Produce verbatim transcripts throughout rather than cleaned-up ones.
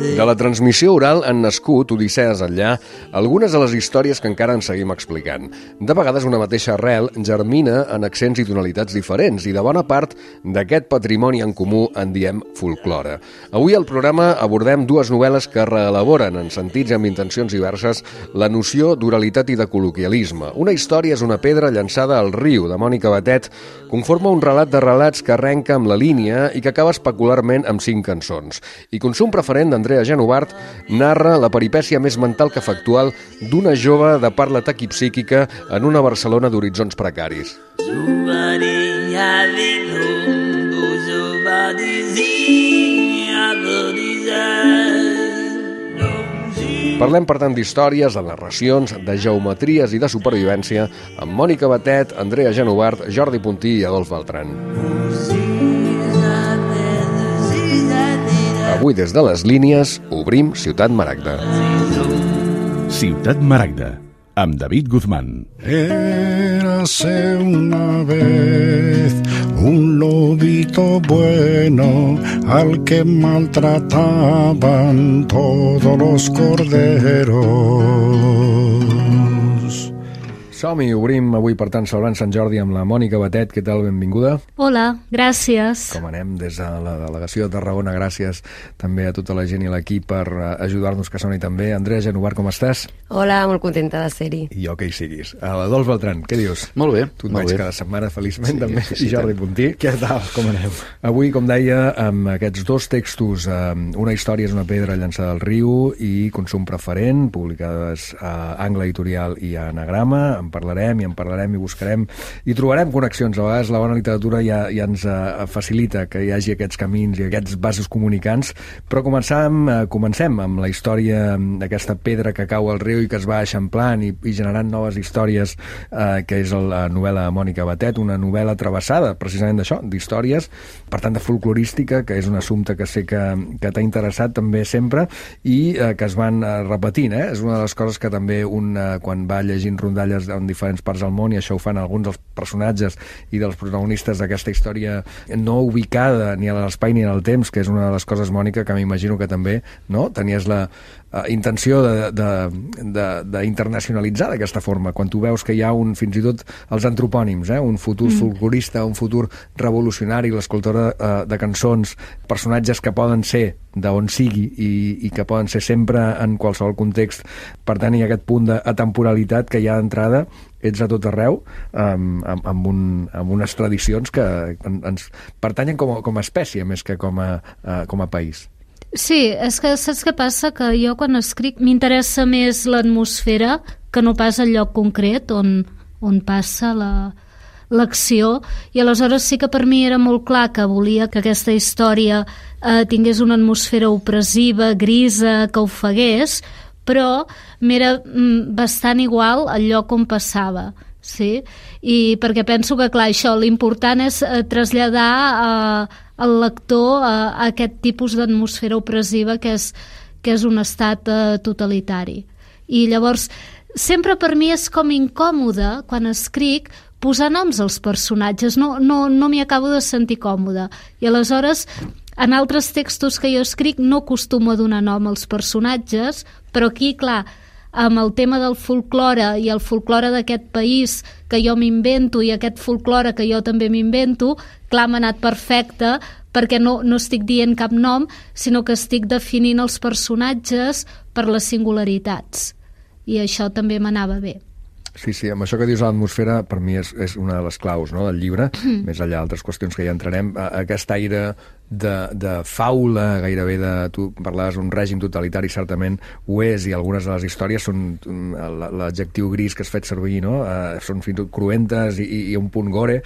De la transmissió oral han nascut, odissees enllà, algunes de les històries que encara ens seguim explicant. De vegades una mateixa arrel germina en accents i tonalitats diferents i de bona part d'aquest patrimoni en comú en diem folklore. Avui al programa abordem dues novel·les que reelaboren en sentits i amb intencions diverses la noció d'oralitat i de col·loquialisme. Una història és una pedra llançada al riu, de Mònica Batet, conforma un relat de relats que arrenca amb la línia i que acaba especularment amb cinc cançons. I Consum preferent d'Andrea Genovart narra la peripècia més mental que factual d'una jove de parla taquipsíquica en una Barcelona d'horitzons precaris. Parlem, per tant, d'històries, de narracions, de geometries i de supervivència amb Mònica Batet, Andrea Genovart, Jordi Puntí i Adolf Beltran. Avui, des de les línies, obrim Ciutat Maragda. Ciutat Maragda, amb David Guzmán. Érase una vez un lobito bueno al que maltrataban todos los corderos. Som-hi, obrim avui, per tant, celebrant Sant Jordi amb la Mònica Batet. Què tal? Benvinguda. Hola, gràcies. Com anem des de la delegació de Tarragona? Gràcies també a tota la gent i l'equip per ajudar-nos, que soni també. Andrea Genovart, com estàs? Hola, molt contenta de ser-hi. I jo que hi siguis. Adolf Beltran, què dius? Molt bé. Tu et veig cada setmana, feliçment, sí, també. sí, sí, I Jordi tant. Puntí. Què tal? Com anem? Avui, com deia, amb aquests dos textos, Una història és una pedra llançada al riu i Consum preferent, publicades a Angle Editorial i a Anagrama. En parlarem i en parlarem i buscarem i trobarem connexions. A vegades la bona literatura ja, ja ens uh, facilita que hi hagi aquests camins i aquests vasos comunicants, però comencem, uh, comencem amb la història d'aquesta pedra que cau al riu i que es va eixamplant i, i generant noves històries, uh, que és la novel·la de Mònica Batet, una novel·la travessada precisament d'això, d'històries, per tant de folclorística, que és un assumpte que sé que, que t'ha interessat també sempre i uh, que es van uh, repetint, eh? És una de les coses que també un, uh, quan va llegint rondalles en diferents parts del món, i això ho fan alguns dels personatges i dels protagonistes d'aquesta història no ubicada ni a l'espai ni en el temps, que és una de les coses, Mònica, que m'imagino que també, no?, tenies la uh, intenció d'internacionalitzar d'aquesta forma, quan tu veus que hi ha un, fins i tot els antropònims, eh? Un futur mm. folclorista, un futur revolucionari, l'escoltora uh, de cançons, personatges que poden ser d'on sigui i, i que poden ser sempre en qualsevol context. Per tant, hi ha aquest punt d'atemporalitat que hi ha d'entrada, ets a tot arreu, amb, amb, amb, un, amb unes tradicions que ens pertanyen com a, com a espècie més que com a, uh, com a país. Sí, és que saps què passa? Que jo quan escric m'interessa més l'atmosfera que no pas el lloc concret on, on passa la... l'acció, i aleshores sí que per mi era molt clar que volia que aquesta història eh, tingués una atmosfera opressiva, grisa, que ofegués, però m'era mm, bastant igual el lloc on passava, sí? I perquè penso que, clar, això, l'important és eh, traslladar eh, al lector a, a aquest tipus d'atmosfera opressiva que és, que és un estat eh, totalitari. I llavors, sempre per mi és com incòmode, quan escric, posar noms als personatges, no, no, no m'hi acabo de sentir còmode. I aleshores, en altres textos que jo escric no acostumo a donar nom als personatges, però aquí, clar, amb el tema del folklore i el folklore d'aquest país que jo m'invento i aquest folklore que jo també m'invento, clar, m'ha anat perfecte, perquè no, no estic dient cap nom, sinó que estic definint els personatges per les singularitats. I això també m'anava bé. Sí, sí, amb això que dius, l'atmosfera per mi és, és una de les claus, no?, del llibre, mm. més enllà d'altres qüestions que ja entrarem, aquest aire de, de faula, gairebé de... Tu parlaves d'un règim totalitari, certament ho és, i algunes de les històries són l'adjectiu gris que has fet servir, no?, uh, són fins i tot cruentes i, i un punt gore.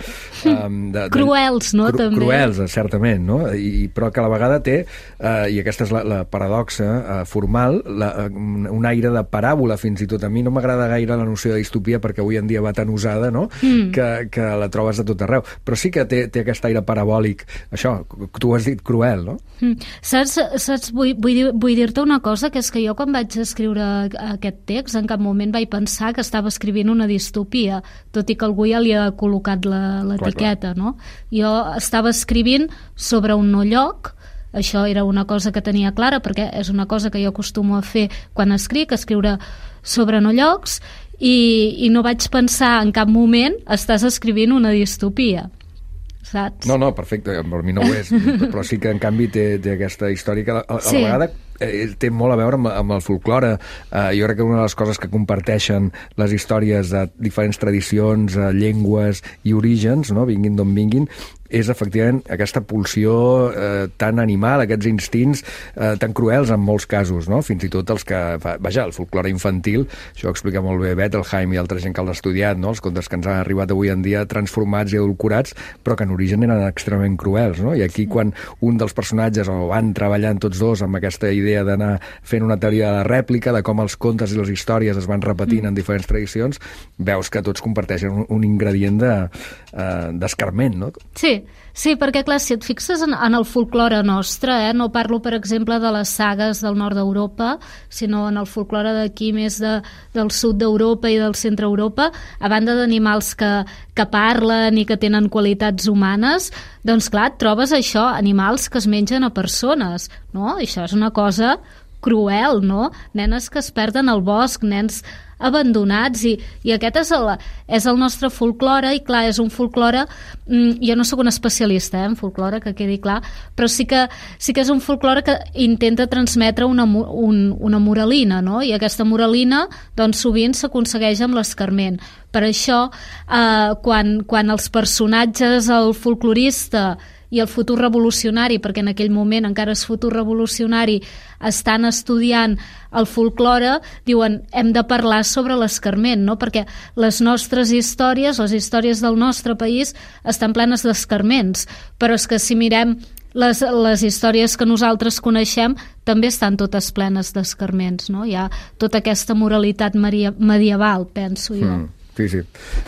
Um, de, de, cruels, no?, cru, també. Cruels, certament, no?, I, però que a la vegada té, uh, i aquesta és la, la paradoxa uh, formal, la, uh, un aire de paràbola, fins i tot. A mi no m'agrada gaire la noció de història distopia perquè avui en dia va tan usada, no? Mm. Que, que la trobes a tot arreu. Però sí que té, té aquest aire parabòlic, això, tu has dit cruel, no? Mm. Saps, saps vull, vull, dir, vull dir-te una cosa, que és que jo quan vaig escriure aquest text en cap moment vaig pensar que estava escrivint una distopia, tot i que algú ja li ha col·locat l'etiqueta, no? Jo estava escrivint sobre un no lloc. Això era una cosa que tenia clara, perquè és una cosa que jo acostumo a fer quan escric, escriure sobre no llocs, i, i no vaig pensar en cap moment estàs escrivint una distopia, saps? No, no, perfecte, per mi no ho és, però sí que en canvi té, té aquesta història que a, a sí. la vegada eh, té molt a veure amb, amb el folklore. Eh, jo crec que una de les coses que comparteixen les històries de diferents tradicions, eh, llengües i orígens, no? Vinguin d'on vinguin, és efectivament aquesta pulsió eh, tan animal, aquests instints eh, tan cruels en molts casos, no? Fins i tot els que... Vaja, el folklore infantil, això ho explica molt bé Bettelheim i altra gent que l'ha estudiat, no? Els contes que ens han arribat avui en dia transformats i adulcorats, però que en origen eren extremament cruels, no? I aquí quan un dels personatges o van treballant tots dos amb aquesta idea d'anar fent una teoria de la rèplica, de com els contes i les històries es van repetint en diferents tradicions, veus que tots comparteixen un, un ingredient de, eh, d'escarment, no? Sí, sí, perquè clar, si et fixes en, en el folklore nostre, eh, no parlo per exemple de les sagues del nord d'Europa, sinó en el folklore d'aquí més de, del sud d'Europa i del centre d'Europa, a banda d'animals que, que parlen i que tenen qualitats humanes, doncs clar, et trobes això, animals que es mengen a persones, no? I això és una cosa cruel, no? Nenes que es perden al bosc, nens abandonats, i, i aquest és el, és el nostre folklore, i clar, és un folklore, mm, jo no sóc una especialista eh, en folklore, que quedi clar, però sí que, sí que és un folklore que intenta transmetre una, un, una moralina, no? I aquesta moralina doncs sovint s'aconsegueix amb l'escarment. Per això, eh, quan, quan els personatges, el folclorista i el futur revolucionari, perquè en aquell moment encara és futur revolucionari, estan estudiant el folklore, diuen, hem de parlar sobre l'escarment, no? Perquè les nostres històries, les històries del nostre país, estan plenes d'escarments, però és que si mirem les, les històries que nosaltres coneixem, també estan totes plenes d'escarments, no? Hi ha tota aquesta moralitat medieval, penso jo. Mm. Sí, sí,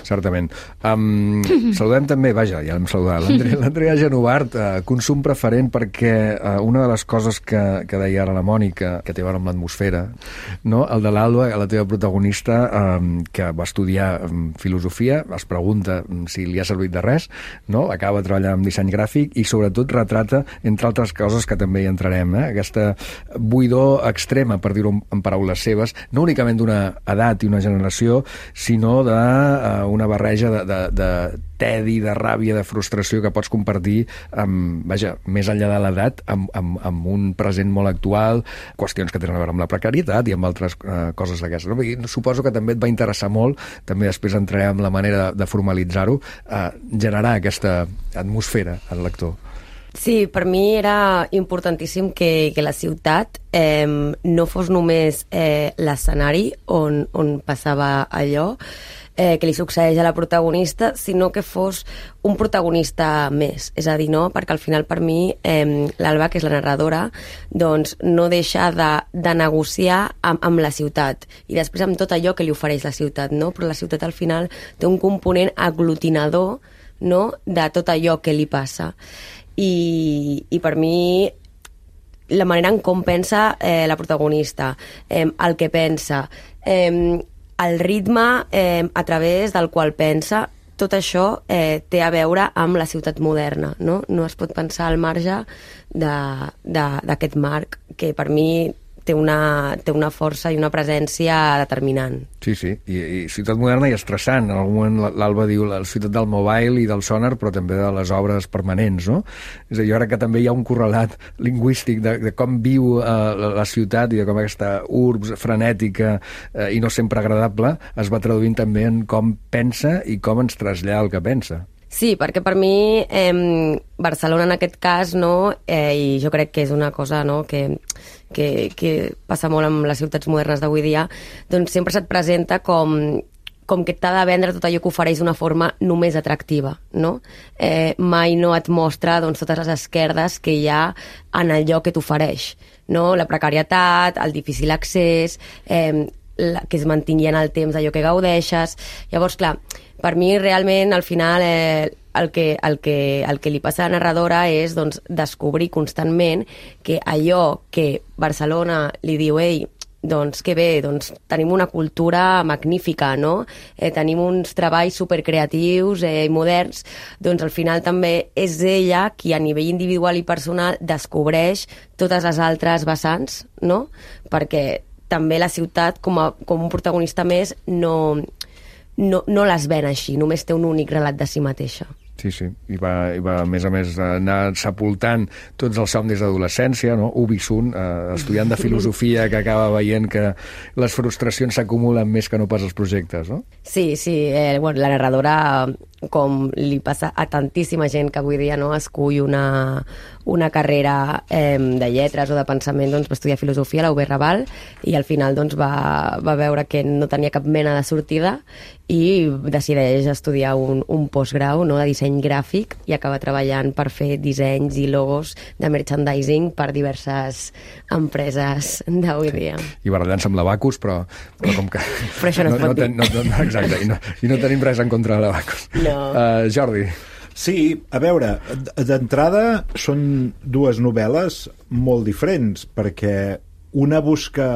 certament. Um, saludem també, vaja, ja l'hem saludat, l'Andrea Genovart, uh, consum preferent, perquè uh, una de les coses que, que deia ara la Mònica, que té a veure amb l'atmosfera, no? El de l'Alba, la teva protagonista, um, que va estudiar um, filosofia, es pregunta um, si li ha servit de res, no? Acaba treballant amb disseny gràfic i sobretot retrata, entre altres coses que també hi entrarem, eh? Aquesta buidor extrema, per dir-ho en paraules seves, no únicament d'una edat i una generació, sinó de una barreja de, de, de tedi, de ràbia, de frustració que pots compartir amb, vaja, més enllà de l'edat, amb, amb, amb un present molt actual, qüestions que tenen a veure amb la precarietat i amb altres uh, coses d'aquestes. No? I suposo que també et va interessar molt, també després entrarem en la manera de, de formalitzar-ho, uh, generar aquesta atmosfera al lector. Sí, per mi era importantíssim que, que la ciutat eh, no fos només eh, l'escenari on, on passava allò eh, que li succeeix a la protagonista, sinó que fos un protagonista més. És a dir, no? Perquè al final per mi eh, l'Alba, que és la narradora, doncs no deixa de, de negociar amb, amb la ciutat i després amb tot allò que li ofereix la ciutat, no? Però la ciutat al final té un component aglutinador, no? De tot allò que li passa. I, i per mi la manera en com pensa eh, la protagonista, eh, el que pensa, eh, el ritme eh, a través del qual pensa, tot això eh, té a veure amb la ciutat moderna, no? No es pot pensar al marge d'aquest marc que per mi té una, té una força i una presència determinant. Sí, sí, I, i ciutat moderna i estressant. En algun moment l'Alba diu la ciutat del mobile i del sonar, però també de les obres permanents, no? És a dir, jo crec que també hi ha un correlat lingüístic de, de com viu eh, la, la ciutat i de com aquesta urbs frenètica eh, i no sempre agradable es va traduint també en com pensa i com ens trasllada el que pensa. Sí, perquè per mi eh, Barcelona en aquest cas, no, eh, i jo crec que és una cosa, no, que, que, que passa molt amb les ciutats modernes d'avui dia, doncs sempre se't presenta com, com que t'ha de vendre tot allò que ofereix d'una forma només atractiva, no? Eh, mai no et mostra doncs, totes les esquerdes que hi ha en allò que t'ofereix, no? La precarietat, el difícil accés, eh, la, que es mantingui en el temps allò que gaudeixes. Llavors, clar, per mi realment al final eh, el, que, el, que, el que li passa a la narradora és doncs, descobrir constantment que allò que Barcelona li diu ei, doncs que bé, doncs tenim una cultura magnífica, no? Eh, tenim uns treballs supercreatius i eh, moderns, doncs al final també és ella qui a nivell individual i personal descobreix totes les altres vessants, no? Perquè també la ciutat, com, a, com un protagonista més, no, no, no les ven així, només té un únic relat de si mateixa. Sí, sí, i va, i va a més a més anar sepultant tots els somnis d'adolescència, no? Ubi Sun, eh, estudiant de filosofia que acaba veient que les frustracions s'acumulen més que no pas els projectes, no? Sí, sí, eh, bueno, la narradora, com li passa a tantíssima gent que avui dia no escull una, una carrera eh, de lletres o de pensament, doncs va estudiar filosofia a la U B Raval i al final doncs, va, va veure que no tenia cap mena de sortida i decideix estudiar un, un postgrau, no?, de disseny gràfic i acaba treballant per fer dissenys i logos de merchandising per diverses empreses d'avui dia. I barallant-se amb l'Abacus, però, però com que... Però això no, no es pot no, dir. No, no, no, exacte, i no, i no tenim res en contra de l'Abacus. No. Uh, Jordi. Sí, a veure, d'entrada són dues novel·les molt diferents, perquè una busca,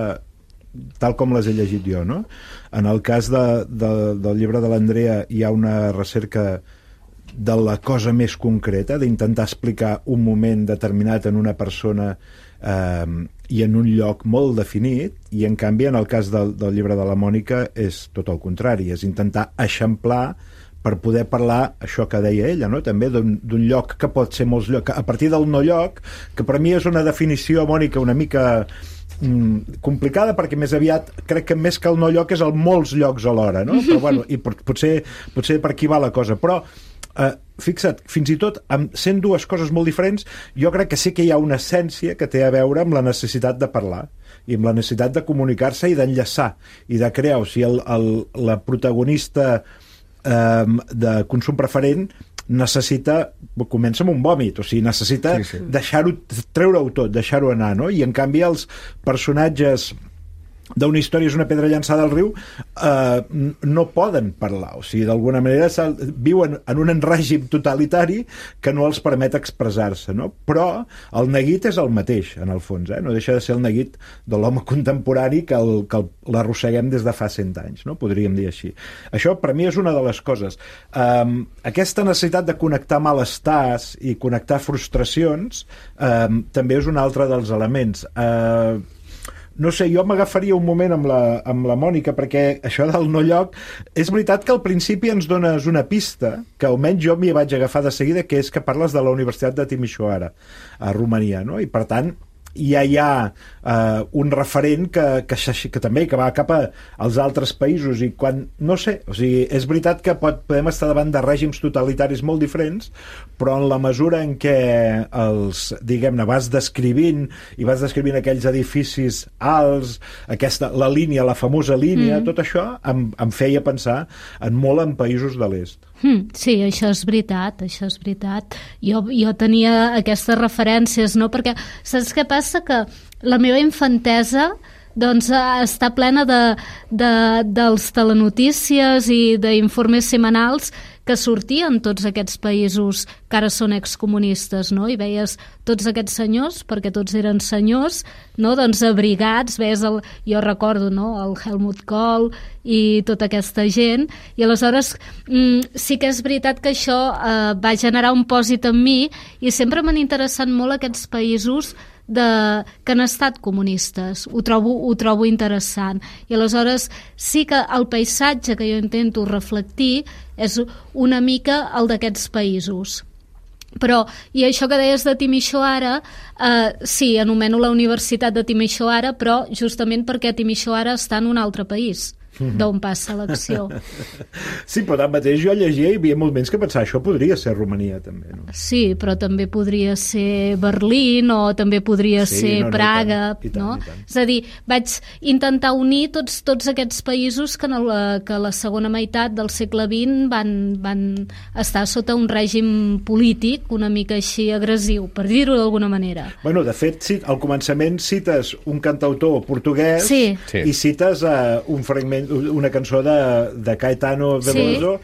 tal com les he llegit jo, no? En el cas de, de, del llibre de l'Andrea hi ha una recerca de la cosa més concreta, d'intentar explicar un moment determinat en una persona eh, i en un lloc molt definit, i en canvi en el cas del, del llibre de la Mònica és tot el contrari, és intentar eixamplar per poder parlar, això que deia ella, no? També d'un lloc que pot ser molts llocs, a partir del no lloc, que per mi és una definició, Mònica, una mica mm, complicada, perquè més aviat crec que més que el no lloc és el molts llocs alhora, no? Però bueno, i potser, potser per aquí va la cosa, però eh, fixa't, fins i tot amb sent dues coses molt diferents, jo crec que sí que hi ha una essència que té a veure amb la necessitat de parlar i amb la necessitat de comunicar-se i d'enllaçar i de crear, o sigui, el, el, la protagonista de consum preferent necessita, comença amb un vòmit, o sigui, necessita sí, sí. deixar-ho, treure-ho tot, deixar-ho anar, no? I en canvi els personatges d'una història és una pedra llançada al riu eh, no poden parlar, o sigui, d'alguna manera viuen en un règim totalitari que no els permet expressar-se, no? Però el neguit és el mateix, en el fons, eh? No deixa de ser el neguit de l'home contemporani que, el, que l'arrosseguem des de fa cent anys, no? Podríem dir així. Això per mi és una de les coses. Um, aquesta necessitat de connectar malestars i connectar frustracions um, també és un altre dels elements. Uh, No sé, jo m'agafaria un moment amb la, amb la Mònica, perquè això del no lloc, és veritat que al principi ens dones una pista, que almenys jo m'hi vaig agafar de seguida, que és que parles de la Universitat de Timișoara, a Romania, no? I per tant, ja hi ha eh, un referent que, que, que també que va cap als altres països, i quan, no sé, o sigui, és veritat que pot, podem estar davant de règims totalitaris molt diferents, però en la mesura en què els, diguem-ne, vas descrivint i vas descrivint aquells edificis alts, aquesta, la línia, la famosa línia, mm. tot això em, em feia pensar en molt en països de l'est. Mm, sí, això és veritat, això és veritat. Jo, jo tenia aquestes referències, no? Perquè saps què passa? Que la meva infantesa doncs, està plena de, de, dels telenotícies i d'informes setmanals que sortien tots aquests països que ara són excomunistes, no? I veies tots aquests senyors, perquè tots eren senyors, no? Doncs abrigats, veies el, jo recordo, no? El Helmut Kohl i tota aquesta gent, i aleshores mm, sí que és veritat que això eh, va generar un pòsit en mi, i sempre m'han interessat molt aquests països de, que han estat comunistes. Ho trobo, ho trobo interessant. I aleshores sí que el paisatge que jo intento reflectir és una mica el d'aquests països. Però, i això que deies de Timișoara, eh, sí, anomeno la Universitat de Timișoara, però justament perquè Timișoara està en un altre país. d'on passa l'acció. Sí, però tanmateix jo llegia i hi havia moments que pensava això podria ser Romania, també. No? Sí, però també podria ser Berlín o també podria Sí, ser no, no, Praga, i tant, i tant, no? i tant. És a dir, vaig intentar unir tots, tots aquests països que en la, que la segona meitat del segle vint van, van estar sota un règim polític una mica així agressiu, per dir-ho d'alguna manera. Bueno, de fet, sí, al començament cites un cantautor portuguès Sí. Sí. i cites uh, un fragment, una cançó de, de Caetano Veloso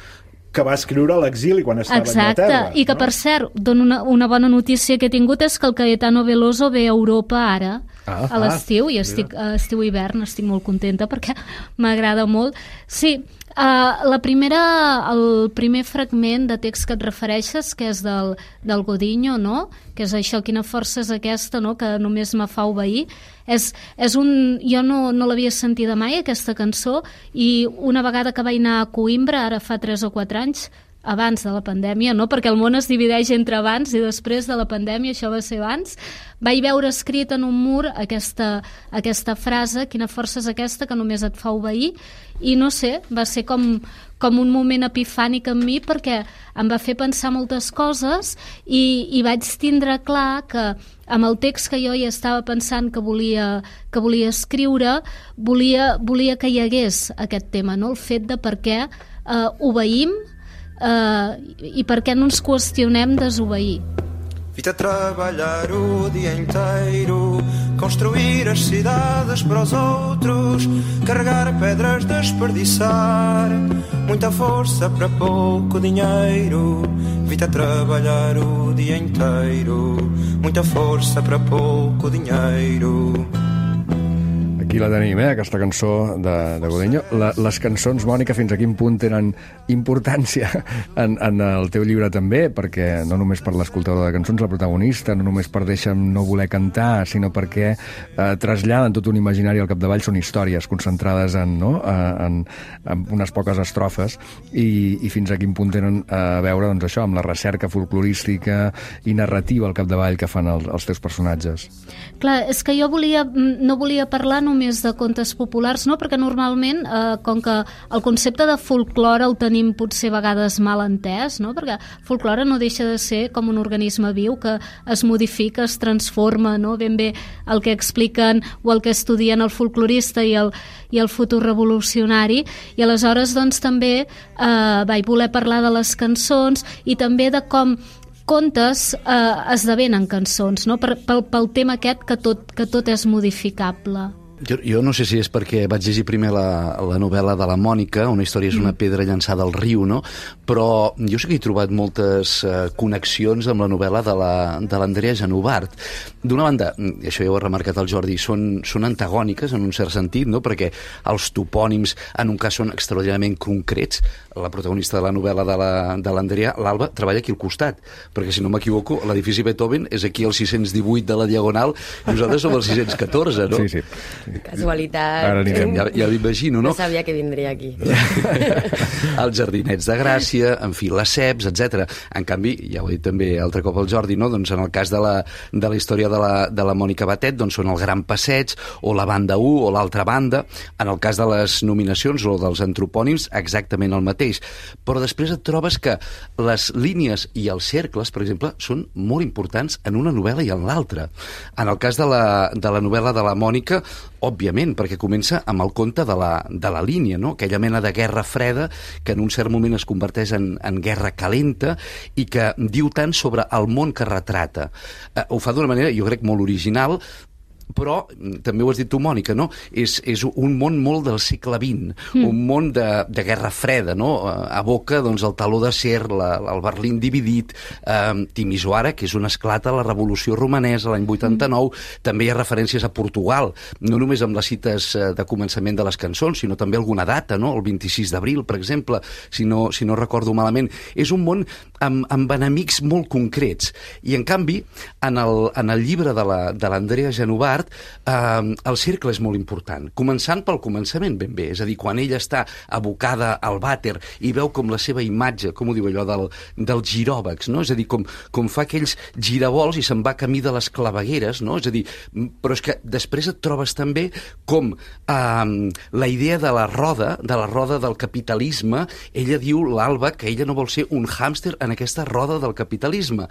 que va escriure a l'exili quan estava Exacte, a Anglaterra. i que no? per cert, dono una, una bona notícia que he tingut és que el Caetano Veloso ve a Europa ara, Ah, a l'estiu, ah, i estic a estiu-hivern, estic molt contenta perquè m'agrada molt. Sí, uh, la primera, el primer fragment de text que et refereixes, que és del, del Godinho, no? Que és això, quina força és aquesta, no? Que només me fa obeir. És, és un, jo no, no l'havia sentida mai, aquesta cançó, i una vegada que vaig anar a Coimbra, ara fa tres o quatre anys, abans de la pandèmia, no? Perquè el món es divideix entre abans i després de la pandèmia, això va ser abans, vaig veure escrit en un mur aquesta, aquesta frase, quina força és aquesta que només et fa obeir, i no sé, va ser com, com un moment epifànic en mi perquè em va fer pensar moltes coses i, i vaig tindre clar que amb el text que jo ja estava pensant que volia, que volia escriure, volia, volia que hi hagués aquest tema, no? El fet de per què eh, obeïm Uh, i per què no ens qüestionem desobeir. Vi-te a trabalhar o dia inteiro, construir as cidades para os outros, carregar pedras, desperdiçar muita força para pouco dinheiro. Vi-te a trabalhar o dia inteiro, muita força para pouco dinheiro. Aquí la tenim, eh, aquesta cançó de, de Godinho. La, les cançons, Mònica, fins a quin punt tenen importància en, en el teu llibre també, perquè no només per l'escoltador de cançons, la protagonista, no només per deixa'm no voler cantar, sinó perquè eh, traslladen tot un imaginari al capdavall, són històries concentrades en, no? en, en unes poques estrofes, i, i fins a quin punt tenen a veure doncs, això, amb la recerca folclorística i narrativa al capdavall que fan el, els teus personatges. Clar, és que jo volia, no volia parlar només de contes populars, no? Perquè normalment, eh, com que el concepte de folklore el tenim potser a vegades mal entès, no? Perquè folklore no deixa de ser com un organisme viu que es modifica, es transforma, no? Ben bé el que expliquen o el que estudien el folclorista i el, i el futur revolucionari, i aleshores doncs també eh, vaig voler parlar de les cançons i també de com contes eh, esdevenen cançons, no? Per, pel, pel tema aquest que tot, que tot és modificable. Jo, jo no sé si és perquè vaig llegir primer la, la novel·la de la Mònica, Una història és una pedra llançada al riu, no? Però jo sí que he trobat moltes eh, connexions amb la novel·la de l'Andrea la, Genovart. D'una banda, i això ja ho ha remarcat el Jordi, són, són antagòniques en un cert sentit, no? Perquè els topònims en un cas són extraordinàriament concrets. La protagonista de la novel·la de l'Andrea, la, l'Alba, treballa aquí al costat, perquè si no m'equivoco, l'edifici Beethoven és aquí al sis-cents divuit de la Diagonal i nosaltres som al sis-cents catorze, no? Sí, sí. Casualitat. Ara anirem. Ja, ja m'imagino, no? No sabia que vindria aquí. Els Jardinets de Gràcia, en fi, les Ceps, etcètera. En canvi, ja ho he dit també altre cop el Jordi, no? Doncs en el cas de la, de la història de la, de la Mònica Batet, doncs són el Gran Passeig, o la banda u, o l'altra banda. En el cas de les nominacions o dels antropònims, exactament el mateix. Però després et trobes que les línies i els cercles, per exemple, són molt importants en una novel·la i en l'altra. En el cas de la, de la novel·la de la Mònica, òbviament, perquè comença amb el conte de la, de la línia, no? Aquella mena de guerra freda que en un cert moment es converteix en, en guerra calenta i que diu tant sobre el món que retrata. Eh, ho fa d'una manera, jo crec, molt original, però, també ho has dit tu, Mònica, no? És, és un món molt del segle vint, mm. un món de, de guerra freda, no? Aboca doncs, el taló d'acer, la, el Berlín dividit, eh, Timisoara, que és on esclata la revolució romanesa l'any vuitanta-nou, mm. també hi ha referències a Portugal, no només amb les cites de començament de les cançons, sinó també alguna data, no? El vint-i-sis d'abril, per exemple, si no, si no recordo malament. És un món amb, amb enemics molt concrets. I, en canvi, en el, en el llibre de l'Andrea la, Genovart, part, eh, el cercle és molt important, començant pel començament ben bé, és a dir, quan ella està abocada al vàter i veu com la seva imatge, com ho diu allò, del, del giròvex, no? És a dir, com, com fa aquells giravolts i se'n va camí de les clavegueres, no? És a dir, però és que després et trobes també com eh, la idea de la roda, de la roda del capitalisme, ella diu, l'Alba, que ella no vol ser un hàmster en aquesta roda del capitalisme.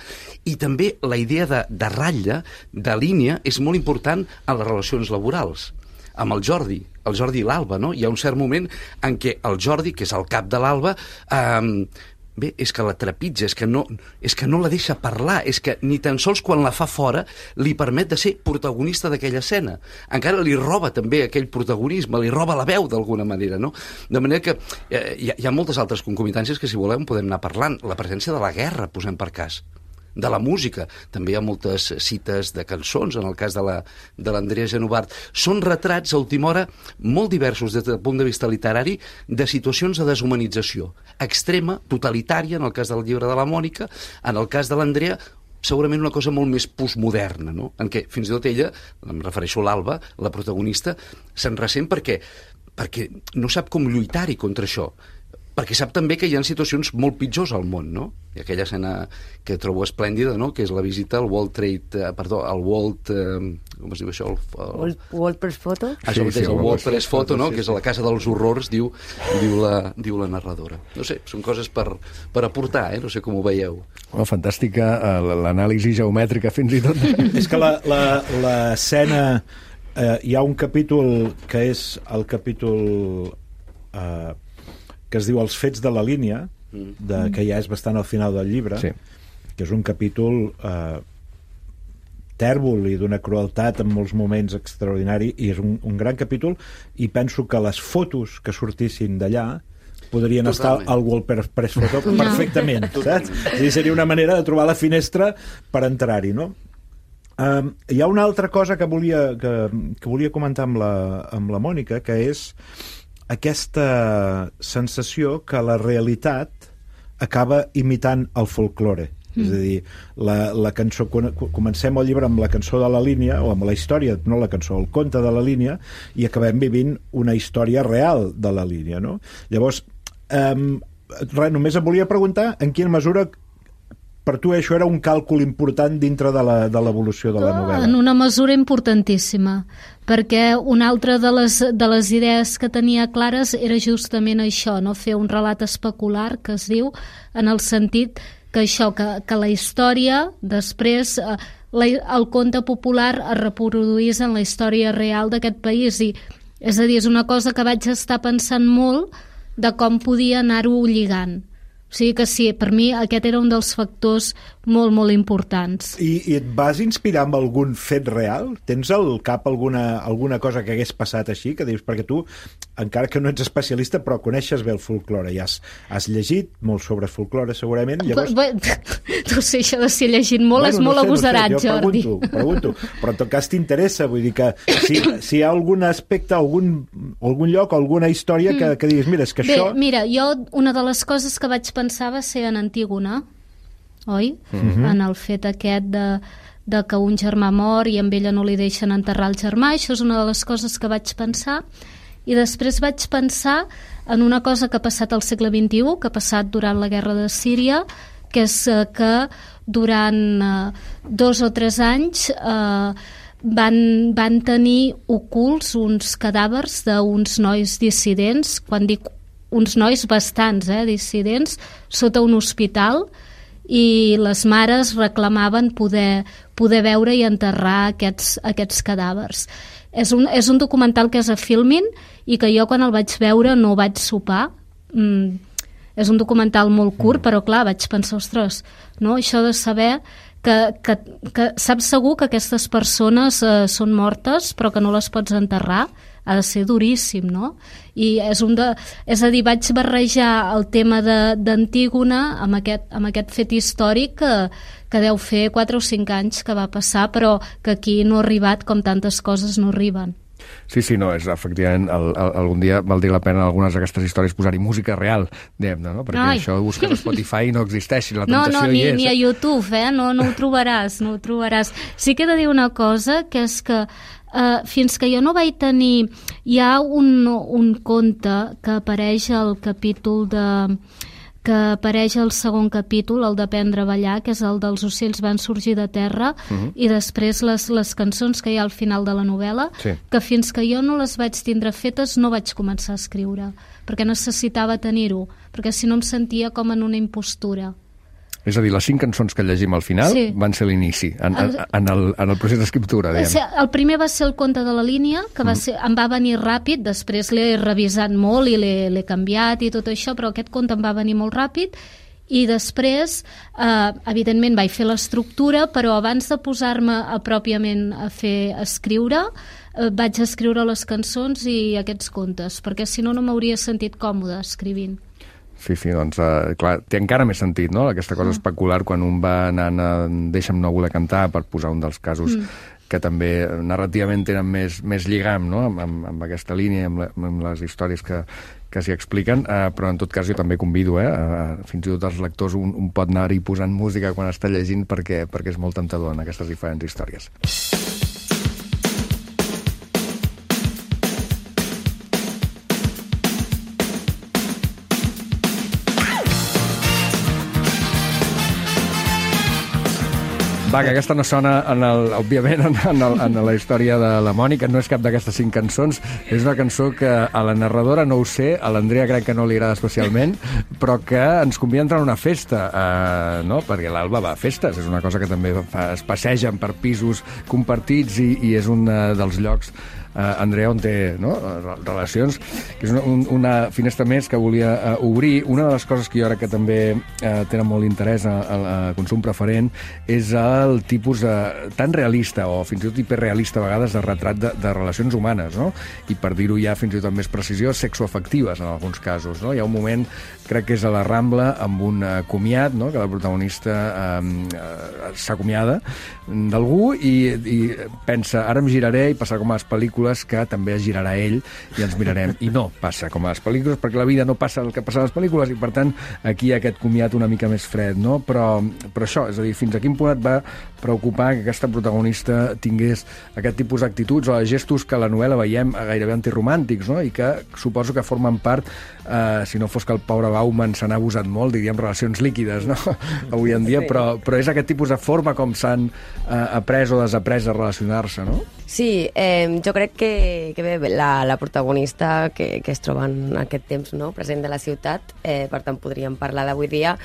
I també la idea de, de ratlla, de línia, és molt important en les relacions laborals. Amb el Jordi, el Jordi i l'Alba, no? Hi ha un cert moment en què el Jordi, que és el cap de l'Alba, eh, bé, és que la trepitja, és que, no, és que no la deixa parlar, és que ni tan sols quan la fa fora li permet de ser protagonista d'aquella escena. Encara li roba també aquell protagonisme, li roba la veu d'alguna manera, no? De manera que eh, hi, ha, hi ha moltes altres concomitàncies que, si volem, podem anar parlant. La presència de la guerra, posem per cas, de la música. També hi ha moltes cites de cançons, en el cas de la, de l'Andrea Genovart. Són retrats, a última hora, molt diversos des del punt de vista literari, de situacions de deshumanització extrema, totalitària, en el cas del llibre de la Mònica, en el cas de l'Andrea, segurament una cosa molt més postmoderna, no? En què fins i tot ella, em refereixo a l'Alba, la protagonista, se'n ressent perquè, perquè no sap com lluitar-hi contra això, perquè sap també que hi ha situacions molt pitjors al món, no? I aquella escena que trobo esplèndida, no?, que és la visita al World Trade, eh, perdó, al World... Eh, com es diu això? El, el... World, World Press Photo? Això Sí, mateix, sí, el el World Press Photo, no?, sí, que és a la casa dels horrors, diu, diu, la, diu la narradora. No sé, són coses per, per aportar, eh? No sé com ho veieu. Oh, fantàstica, eh, l'anàlisi geomètrica fins i tot. És que la- la- l'escena... Eh, hi ha un capítol que és el capítol eh, que es diu Els fets de la línia, de, que ja és bastant al final del llibre, Sí. que és un capítol eh, tèrbol i d'una crueltat en molts moments extraordinari, i és un, un gran capítol, i penso que les fotos que sortissin d'allà podrien Totalment. estar al World Press Photo perfectament, saps? És a dir, seria una manera de trobar la finestra per entrar-hi, no? Um, hi ha una altra cosa que volia, que, que volia comentar amb la, amb la Mònica, que és aquesta sensació que la realitat acaba imitant el folklore. Mm. És a dir, la, la cançó, comencem el llibre amb la cançó de la línia, o amb la història, no la cançó, el conte de la línia, i acabem vivint una història real de la línia, no? Llavors, um, res, només em volia preguntar en quina mesura per tu això era un càlcul important dintre de la, de l'evolució de la novel·la. En una mesura importantíssima, perquè una altra de les, de les idees que tenia clares era justament això, no? Fer un relat especular, que es diu, en el sentit que això, que, que la història després, eh, la, el conte popular es reproduís en la història real d'aquest país, i és a dir, és una cosa que vaig estar pensant molt de com podia anar-ho lligant. O sigui que sí, per mi aquest era un dels factors molt, molt importants. I, I et vas inspirar amb algun fet real? Tens al cap alguna, alguna cosa que hagués passat així? Que dius, perquè tu, encara que no ets especialista, però coneixes bé el folklore i has, has llegit molt sobre folklore, segurament. Llavors... Bé, no sé, això de si he llegit molt bueno, és molt no sé, agosarat, no sé, jo Jordi. pregunto, pregunto, però en tot cas t'interessa, vull dir que si, si hi ha algun aspecte, algun, algun lloc, alguna història que, que diguis, mira, és que Bé, això... mira, jo una de les coses que vaig pensar va ser en Antígona, oi? Mm-hmm. En el fet aquest de, de que un germà mor i amb ella no li deixen enterrar el germà. Això és una de les coses que vaig pensar. I després vaig pensar en una cosa que ha passat al segle vint-i-u, que ha passat durant la guerra de Síria, que és eh, que durant eh, dos o tres anys eh, van, van tenir ocults uns cadàvers d'uns nois dissidents, quan dic uns nois bastants, eh, dissidents, sota un hospital, i les mares reclamaven poder, poder veure i enterrar aquests, aquests cadàvers. És un, és un documental que és a Filmin i que jo quan el vaig veure no vaig sopar. Mm, és un documental molt curt, però clar, vaig pensar, ostres, no? Això de saber que, que, que saps segur que aquestes persones eh, són mortes però que no les pots enterrar, ha de ser duríssim, no? I és un de... És a dir, vaig barrejar el tema d'Antígona amb aquest, amb aquest fet històric que, que deu fer quatre o cinc anys que va passar, però que aquí no ha arribat com tantes coses no arriben. Sí, sí, no, és efectivament, el, el, algun dia valdria la pena algunes d'aquestes històries posar-hi música real, diguem-ne, no? Perquè Ai. això ho busques a Spotify i no existeix, la no, tentació no, ni, hi és. ni a YouTube, eh? No, no ho trobaràs, no ho trobaràs. Sí que he de dir una cosa, que és que uh, fins que jo no vaig tenir... Hi ha un, un conte que apareix al capítol de... que apareix al segon capítol, el d'Aprendre a ballar, que és el dels ocells van sorgir de terra, uh-huh. i després les, les cançons que hi ha al final de la novel·la, sí. que fins que jo no les vaig tindre fetes no vaig començar a escriure, perquè necessitava tenir-ho, perquè si no em sentia com en una impostura. És a dir, les cinc cançons que llegim al final sí. van ser l'inici, en, en, en, el, en el procés d'escriptura, diguem. El primer va ser el conte de la línia, que va ser, em va venir ràpid, després l'he revisat molt i l'he canviat i tot això, però aquest conte em va venir molt ràpid, i després, eh, evidentment, vaig fer l'estructura, però abans de posar-me a, pròpiament a fer a escriure, eh, vaig escriure les cançons i aquests contes, perquè si no, no m'hauria sentit còmode escrivint. Sí, sí, doncs, uh, clar, té encara més sentit, no?, aquesta cosa mm. especular quan un va anant a Deixa'm no voler cantar, per posar un dels casos mm. que també narrativament tenen més, més lligam, no?, amb, amb, amb aquesta línia, amb, la, amb les històries que, que s'hi expliquen, uh, però en tot cas jo també convido, eh, uh, fins i tot els lectors un, un pot anar-hi posant música quan està llegint perquè, perquè és molt tentador en aquestes diferents històries. Va, que aquesta no sona, en el, òbviament, en, en, el, en la història de la Mònica, no és cap d'aquestes cinc cançons, és una cançó que a la narradora no ho sé, a l'Andrea crec que no li agrada especialment, però que ens convida a entrar a una festa, eh, no? Perquè l'Alba va a festes, és una cosa que també fa, es passegen per pisos compartits i, i és un dels llocs Uh, Andrea, on té, no?, relacions, que és una, un, una finestra més que volia uh, obrir. Una de les coses que jo crec que també uh, tenen molt interès al consum preferent és el tipus uh, tan realista o fins i tot hiperrealista a vegades de retrat de, de relacions humanes, no? I per dir-ho ja fins i tot amb més precisió, sexoafectives en alguns casos, no? Hi ha un moment, crec que és a la Rambla, amb un uh, comiat, no?, que la protagonista um, uh, s'acomiada d'algú i, i pensa, ara em giraré i passarà com a les pel·lícules que també es girarà ell i ens mirarem. I no passa com a les pel·lícules, perquè la vida no passa el que passa a les pel·lícules i, per tant, aquí hi ha aquest comiat una mica més fred, no? Però, però això, és a dir, fins a quin punt et va preocupar que aquesta protagonista tingués aquest tipus d'actituds o de gestos que a la novel·la veiem gairebé antiromàntics, no? I que suposo que formen part, eh, si no fos que el pobre Bauman se n'ha abusat molt, diríem relacions líquides, no? Avui en dia, sí. però, però és aquest tipus de forma com s'han eh, après o desaprès a relacionar-se, no? Sí, eh, jo crec que, que bé, la, la protagonista que, que es troba en aquest temps, no?, present de la ciutat, eh, per tant podríem parlar d'avui dia,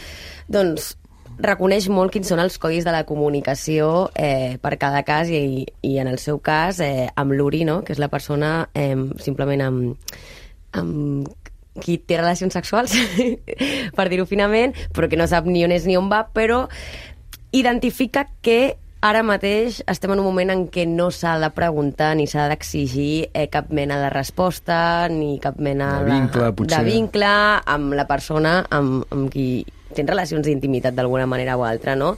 doncs reconeix molt quins són els codis de la comunicació eh, per cada cas i, i en el seu cas eh, amb l'Uri, no?, que és la persona eh, simplement amb, amb qui té relacions sexuals, per dir-ho finament, però que no sap ni on és ni on va, però identifica que ara mateix estem en un moment en què no s'ha de preguntar ni s'ha d'exigir eh, cap mena de resposta ni cap mena de vincle, de, de vincle amb la persona amb, amb qui tens relacions d'intimitat d'alguna manera o altra, no?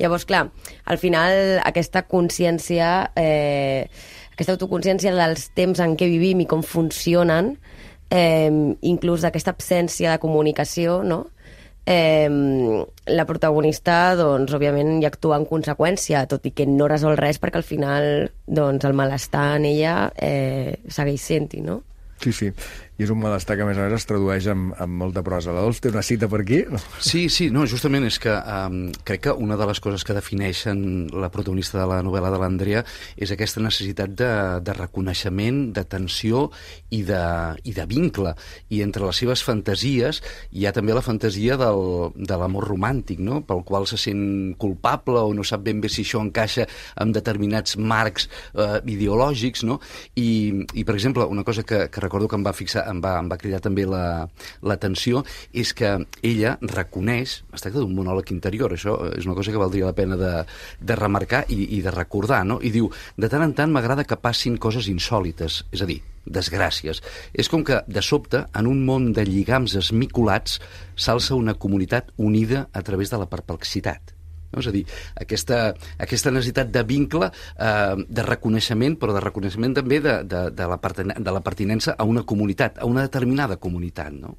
Llavors, clar, al final aquesta consciència, eh, aquesta autoconsciència dels temps en què vivim i com funcionen, eh, inclús d'aquesta absència de comunicació, no?, Eh, la protagonista, doncs, òbviament, hi actua en conseqüència, tot i que no resol res perquè al final, doncs, el malestar en ella eh, segueix sent-hi, no? Sí, sí. I és un malestar que, a més a més, es tradueix amb, amb molta prosa. La Dols té una cita per aquí? Sí, sí, no, justament és que um, crec que una de les coses que defineixen la protagonista de la novel·la de l'Andrea és aquesta necessitat de, de reconeixement, d'atenció i de, i de vincle. I entre les seves fantasies hi ha també la fantasia del, de l'amor romàntic, no?, pel qual se sent culpable o no sap ben bé si això encaixa amb determinats marcs eh, ideològics, no? I, i, per exemple, una cosa que, que recordo que em va fixar em va, em va cridar també l'atenció, la, és que ella reconeix, es tracta d'un monòleg interior, això és una cosa que valdria la pena de, de remarcar i, i de recordar, no? I diu, de tant en tant m'agrada que passin coses insòlites, és a dir, desgràcies. És com que, de sobte, en un món de lligams esmicolats, s'alça una comunitat unida a través de la perplexitat. No? És a dir, aquesta, aquesta necessitat de vincle, eh, de reconeixement, però de reconeixement també de, de, de, la pertinen- de la pertinença a una comunitat, a una determinada comunitat, no?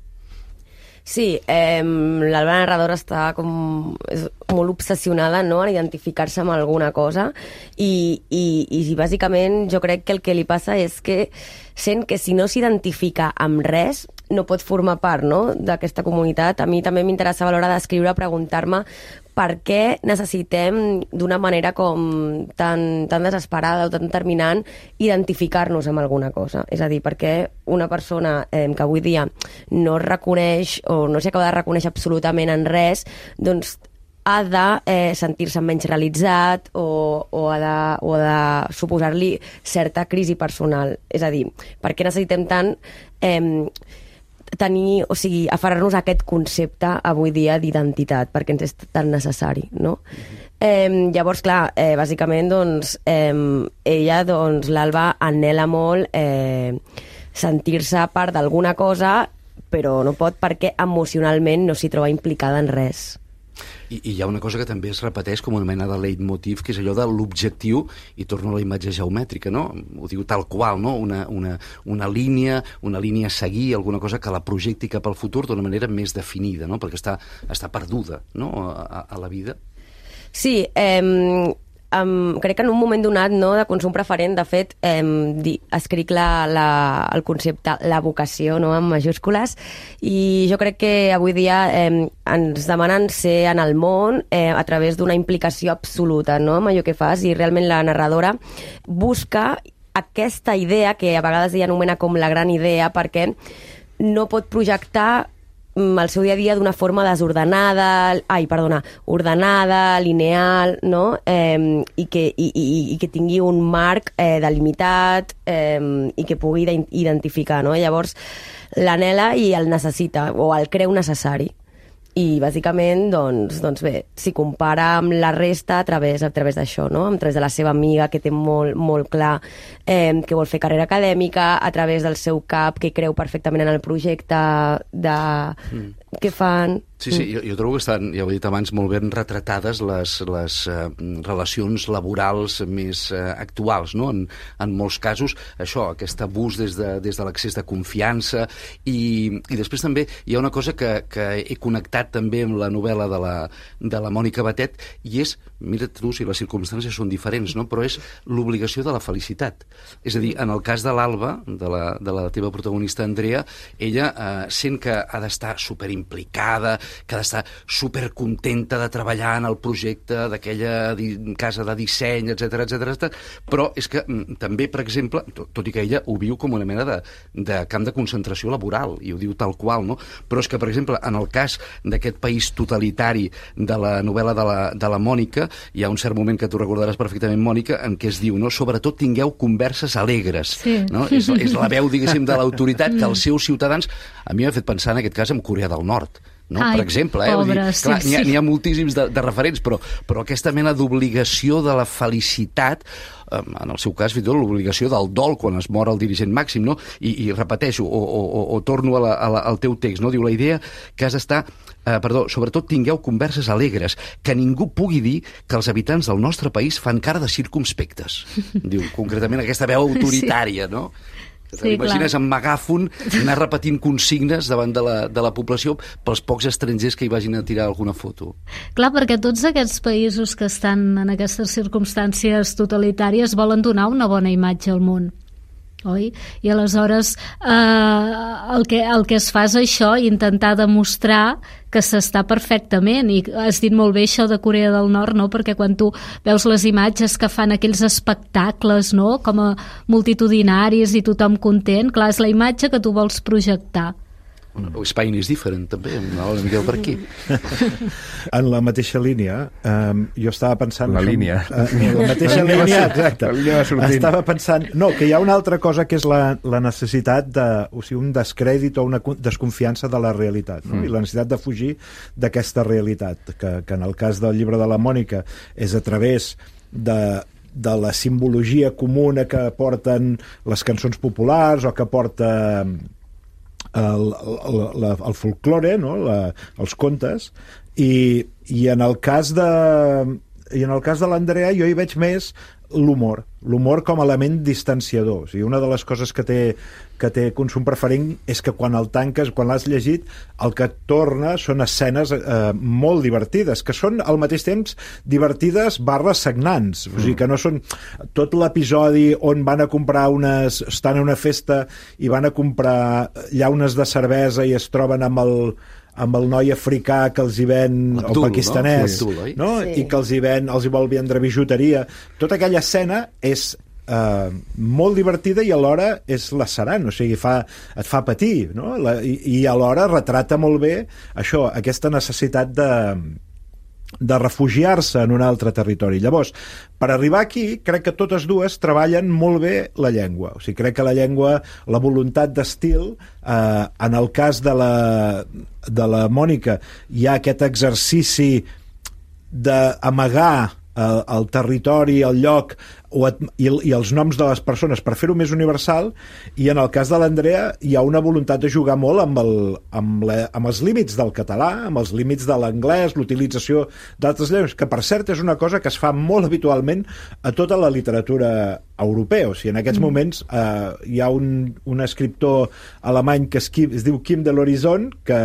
Sí, eh, l'Alba narradora està com és molt obsessionada, no?, en identificar-se amb alguna cosa i, i, i bàsicament jo crec que el que li passa és que sent que si no s'identifica amb res no pot formar part, no?, d'aquesta comunitat. A mi també m'interessava a l'hora d'escriure preguntar-me per què necessitem d'una manera com tan, tan desesperada o tan determinant identificar-nos amb alguna cosa. És a dir, per què una persona eh, que avui dia no es reconeix o no s'acaba de reconèixer absolutament en res, doncs ha de eh, sentir-se menys realitzat o, o ha de, o ha de suposar-li certa crisi personal. És a dir, per què necessitem tant eh, tenir, o sigui, aferrar-nos a aquest concepte avui dia d'identitat, perquè ens és tan necessari, no? Eh, llavors, clar, eh, bàsicament, doncs, eh, ella, doncs, l'Alba anhela molt eh, sentir-se part d'alguna cosa, però no pot perquè emocionalment no s'hi troba implicada en res. I, I hi ha una cosa que també es repeteix com una mena de leitmotiv, que és allò de l'objectiu, i torno a la imatge geomètrica, no? Ho diu tal qual, no? Una, una, una línia, una línia a seguir, alguna cosa que la projecti cap al futur d'una manera més definida, no? Perquè està, està perduda, no?, a, a la vida. Sí, eh, Um, crec que en un moment donat, no, de consum preferent, de fet, um, di, escric la, la, el concepte la vocació, no, en majúscules, i jo crec que avui dia um, ens demanen ser en el món eh, a través d'una implicació absoluta, no?, amb allò que fas, i realment la narradora busca aquesta idea que a vegades ella anomena com la gran idea, perquè no pot projectar el seu dia a dia d'una forma desordenada, ai, perdona, ordenada, lineal, no? Eh, i, que, i, i, i que tingui un marc eh, delimitat eh, i que pugui identificar, no? Llavors, l'anhela i el necessita, o el creu necessari. I bàsicament, doncs, doncs bé, s'hi compara amb la resta a través, a través d'això, no? A través de la seva amiga, que té molt, molt clar eh, que vol fer carrera acadèmica, a través del seu cap, que creu perfectament en el projecte de... Mm. que fan... Sí, sí, jo, jo trobo que estan, ja ho he dit abans, molt ben retratades les, les uh, relacions laborals més uh, actuals, no? En, en molts casos, això, aquest abús des de, des de l'excés de confiança, i, i després també hi ha una cosa que, que he connectat també amb la novel·la de la, de la Mònica Batet, i és, mira tu si les circumstàncies són diferents, no? Però és l'obligació de la felicitat. És a dir, en el cas de l'Alba, de la, de la teva protagonista Andrea, ella uh, sent que ha d'estar superimplicada, que ha d'estar supercontenta de treballar en el projecte d'aquella casa de disseny, etcètera, etcètera, però és que mm, també, per exemple, tot, tot i que ella ho viu com una mena de, de camp de concentració laboral, i ho diu tal qual, no? Però és que, per exemple, en el cas d'aquest país totalitari de la novel·la de la, de la Mònica, hi ha un cert moment que tu recordaràs perfectament, Mònica, en què es diu, no? Sobretot tingueu converses alegres, sí. No? És, és la veu, diguéssim, de l'autoritat que els seus ciutadans, a mi m'ha fet pensar en aquest cas en Corea del Nord, no? Ai, per exemple, eh? pobre, Vull dir, clar, sí, n'hi ha, sí. n'hi ha moltíssims de, de referents, però, però aquesta mena d'obligació de la felicitat, eh, en el seu cas, fins i tot l'obligació del dol quan es mor el dirigent màxim, no? I, i repeteixo, o, o, o, o torno a la, a la, al teu text, no? Diu la idea que has d'estar, eh, perdó, sobretot tingueu converses alegres, que ningú pugui dir que els habitants del nostre país fan cara de circumspectes. Diu, concretament, aquesta veu autoritària, sí. No? Que sí, t'imagines amb megàfon anar repetint consignes davant de la, de la població pels pocs estrangers que hi vagin a tirar alguna foto. Clar, perquè tots aquests països que estan en aquestes circumstàncies totalitàries volen donar una bona imatge al món, oi? I aleshores eh, el, que, el que es fa és això, intentar demostrar que s'està perfectament, i has dit molt bé això de Corea del Nord, no? Perquè quan tu veus les imatges que fan aquells espectacles, no? Com a multitudinaris i tothom content, clar, és la imatge que tu vols projectar. O Spain is different, també, una mica per aquí. En la mateixa línia, um, jo estava pensant... La línia. Uh, en la mateixa la línia, exacte. La línia va sortint. Estava pensant... No, que hi ha una altra cosa que és la, la necessitat de... O sigui, un descrèdit o una desconfiança de la realitat, no? Mm. I la necessitat de fugir d'aquesta realitat, que, que en el cas del llibre de la Mònica és a través de de la simbologia comuna que porten les cançons populars o que porta... El, el, el, el folklore, no? La, els contes, I, i en el cas de i en el cas de l'Andrea jo hi veig més l'humor, l'humor com a element distanciador. O sigui, una de les coses que té, que té Consum Preferent és que quan el tanques, quan l'has llegit, el que et torna són escenes eh, molt divertides, que són al mateix temps divertides barra sagnants. O sigui, que no són tot l'episodi on van a comprar unes... estan a una festa i van a comprar llaunes de cervesa i es troben amb el amb el noi africà que els hi ven, Abdul, el pakistanès, no? Abdul, no? Sí. I que els hi ven, els hi vol vendre bijuteria. Tota aquella escena és eh, molt divertida i alhora és lacerant, o sigui, fa, et fa patir, no? La, i, i alhora retrata molt bé això, aquesta necessitat de de refugiar-se en un altre territori. Llavors, per arribar aquí, crec que totes dues treballen molt bé la llengua. O sigui, crec que la llengua, la voluntat d'estil, eh, en el cas de la, de la Mònica, hi ha aquest exercici d'amagar el, el territori, el lloc o et, i, i els noms de les persones per fer-ho més universal, i en el cas de l'Andrea hi ha una voluntat de jugar molt amb, el, amb, la, amb els límits del català, amb els límits de l'anglès, l'utilització d'altres llengües, que per cert és una cosa que es fa molt habitualment a tota la literatura europea. O sigui, en aquests mm. moments eh, hi ha un, un escriptor alemany que es, es diu Kim de l'Horizon, que,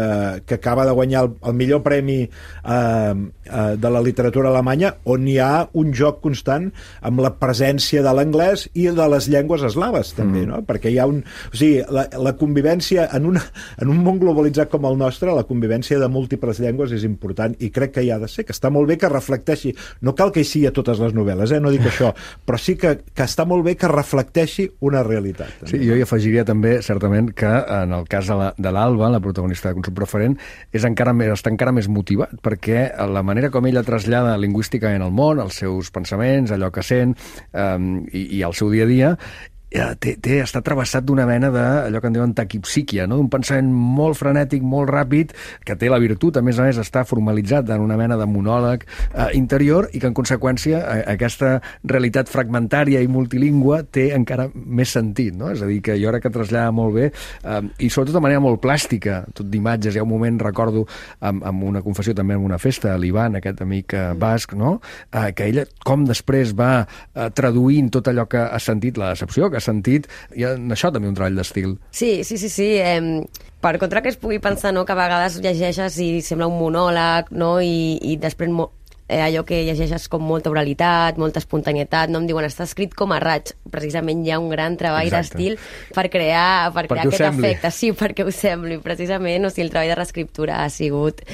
que acaba de guanyar el, el millor premi eh, eh, de la literatura alemanya, on hi ha un joc constant amb la presència de l'anglès i de les llengües eslaves també, mm. no? Perquè hi ha un... O sigui, la, la convivència en, una, en un món globalitzat com el nostre, la convivència de múltiples llengües és important i crec que hi ha de ser, que està molt bé que reflecteixi, no cal que hi sigui a totes les novel·les, eh? No dic això, però sí que, que està molt bé que reflecteixi una realitat. També. Sí, jo hi afegiria també, certament, que en el cas de l'Alba, la protagonista de Consum Preferent, és encara més, està encara més motivat, perquè la manera com ella trasllada lingüísticament al món, els seus pensaments, allò que sent, Um, i, i el seu dia a dia, té, té, està travessat d'una mena de, allò que en diuen taquipsíquia, no? D'un pensament molt frenètic, molt ràpid, que té la virtut, a més a més, està formalitzat en una mena de monòleg eh, interior, i que en conseqüència eh, aquesta realitat fragmentària i multilingüe té encara més sentit, no? És a dir, que jo crec que trasllada molt bé, eh, i sobretot de manera molt plàstica, tot d'imatges. Hi ha un moment, recordo, amb, amb una confessió també en una festa, l'Ivan, aquest amic eh, basc, no? Eh, que ella, com després va eh, traduint tot allò que ha sentit, la decepció que ha sentit, hi ha en això també un treball d'estil. Sí, sí, sí, sí. Eh, per contra que es pugui pensar, no?, que a vegades llegeixes i sembla un monòleg, no?, i, i després mo eh, allò que llegeixes com molta oralitat, molta espontanietat, no? Em diuen, està escrit com a raig. Precisament hi ha un gran treball d'estil per crear, per crear aquest sembli. efecte. Sí, perquè ho sembli, precisament. O sigui, el treball de reescriptura ha sigut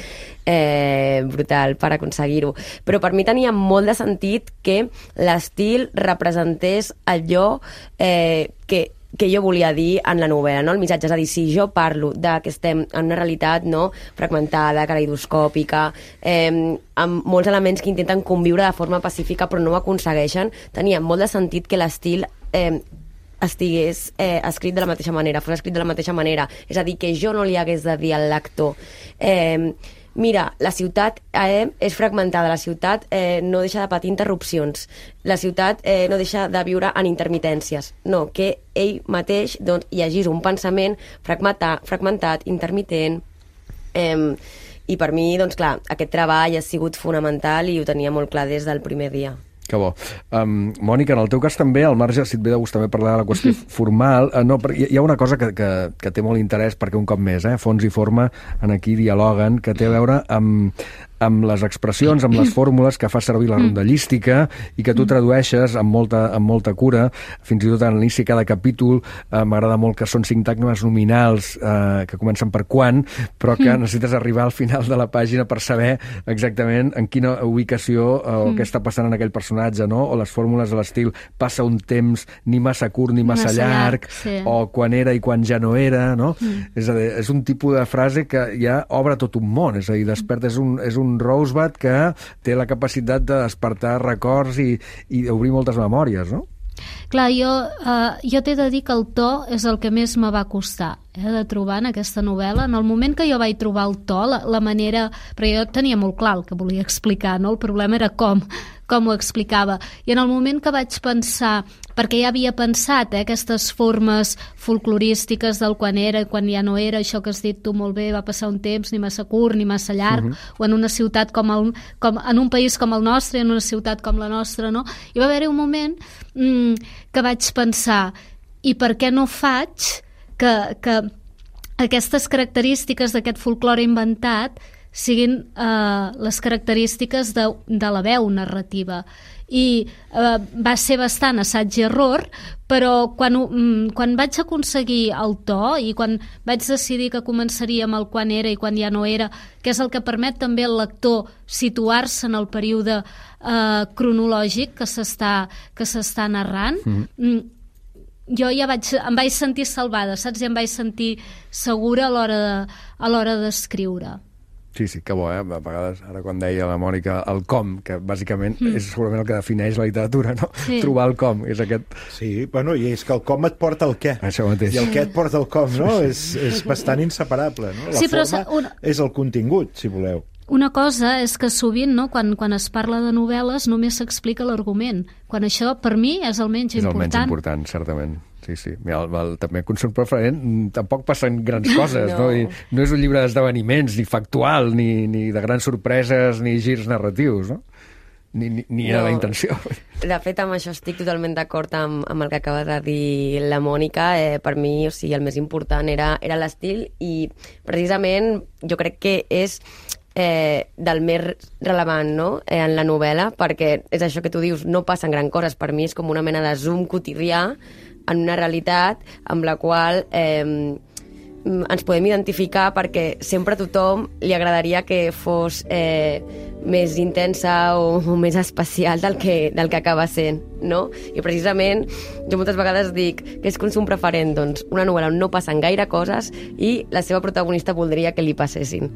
eh, brutal per aconseguir-ho. Però per mi tenia molt de sentit que l'estil representés allò eh, que que jo volia dir en la novel·la, no? El missatge, és a dir, si jo parlo de que estem en una realitat, no?, fragmentada, caleidoscòpica, eh, amb molts elements que intenten conviure de forma pacífica però no ho aconsegueixen, tenia molt de sentit que l'estil eh, estigués eh, escrit de la mateixa manera, fos escrit de la mateixa manera, és a dir, que jo no li hagués de dir al lector eh, mira, la ciutat eh, és fragmentada, la ciutat eh, no deixa de patir interrupcions, la ciutat eh, no deixa de viure en intermitències. No, que ell mateix doncs, llegís un pensament fragmentat, fragmentat intermitent, eh, i per mi, doncs clar, aquest treball ha sigut fonamental i ho tenia molt clar des del primer dia. Que bo. Um, Mònica, en el teu cas també, al marge, si et ve de gust també parlar de la qüestió formal, uh, no, hi, hi ha una cosa que, que, que té molt interès, perquè un cop més, eh, fons i forma en aquí dialoguen, que té a veure amb, amb les expressions, amb les fórmules que fa servir la rondallística i que tu tradueixes amb molta, amb molta cura. Fins i tot a l'inici cada capítol eh, m'agrada molt que són sintagmes nominals eh, que comencen per quan, però que necessites arribar al final de la pàgina per saber exactament en quina ubicació eh, o què està passant en aquell personatge, no? O les fórmules de l'estil passa un temps ni massa curt ni massa, massa llarg, llarg sí. O quan era i quan ja no era, no? Mm. És a dir, és un tipus de frase que ja obre tot un món, és a dir, desperta, és un, és un Rosebud que té la capacitat de despertar records i, i d'obrir moltes memòries, no? Clar, jo, uh, jo t'he de dir que el to és el que més me va costar. eh, de trobar en aquesta novel·la. En el moment que jo vaig trobar el to, la, la manera... Perquè jo tenia molt clar el que volia explicar, no? El problema era com, com ho explicava. I en el moment que vaig pensar, perquè ja havia pensat, eh, aquestes formes folclorístiques del quan era i quan ja no era, això que has dit tu molt bé, va passar un temps ni massa curt ni massa llarg, uh-huh. o en una ciutat com, el, com en un país com el nostre, en una ciutat com la nostra, no? I va haver-hi un moment mm, que vaig pensar, i per què no faig que, que aquestes característiques d'aquest folklore inventat siguin eh, les característiques de, de la veu narrativa. I eh, va ser bastant assaig i error, però quan, mm, quan vaig aconseguir el to i quan vaig decidir que començaria amb el quan era i quan ja no era, que és el que permet també al lector situar-se en el període eh, cronològic que s'està que s'està narrant, mm-hmm. jo ja vaig, em vaig sentir salvada, saps? I em vaig sentir segura a l'hora de, a l'hora d'escriure. Sí, sí, que bo, eh? A vegades, ara quan deia la Mònica, el com, que bàsicament mm. és segurament el que defineix la literatura, no? Sí. Trobar el com, és aquest... Sí, bueno, i és que el com et porta el què. Això mateix. I el què et porta el com, no? és, és bastant inseparable, no? La sí, forma una... és el contingut, si voleu. Una cosa és que sovint, no, quan, quan es parla de novel·les, només s'explica l'argument, quan això, per mi, és el menys és important. És el menys important, certament. Sí, sí. Mira, el, el, també consum preferent tampoc passen grans coses, no? No, I no és un llibre d'esdeveniments, ni factual, ni, ni de grans sorpreses, ni girs narratius, no? Ni, ni, ni no. A la intenció. De fet, amb això estic totalment d'acord amb, amb el que acaba de dir la Mònica. Eh, per mi, o sigui, el més important era, era l'estil i precisament jo crec que és eh, del més relevant, no?, eh, en la novel·la, perquè és això que tu dius, no passen gran coses. Per mi és com una mena de zoom quotidià en una realitat amb la qual eh, ens podem identificar, perquè sempre a tothom li agradaria que fos eh, més intensa o, o més especial del que, del que acaba sent, no? I precisament jo moltes vegades dic que és consum preferent, doncs, una novel·la on no passen gaire coses i la seva protagonista voldria que li passessin.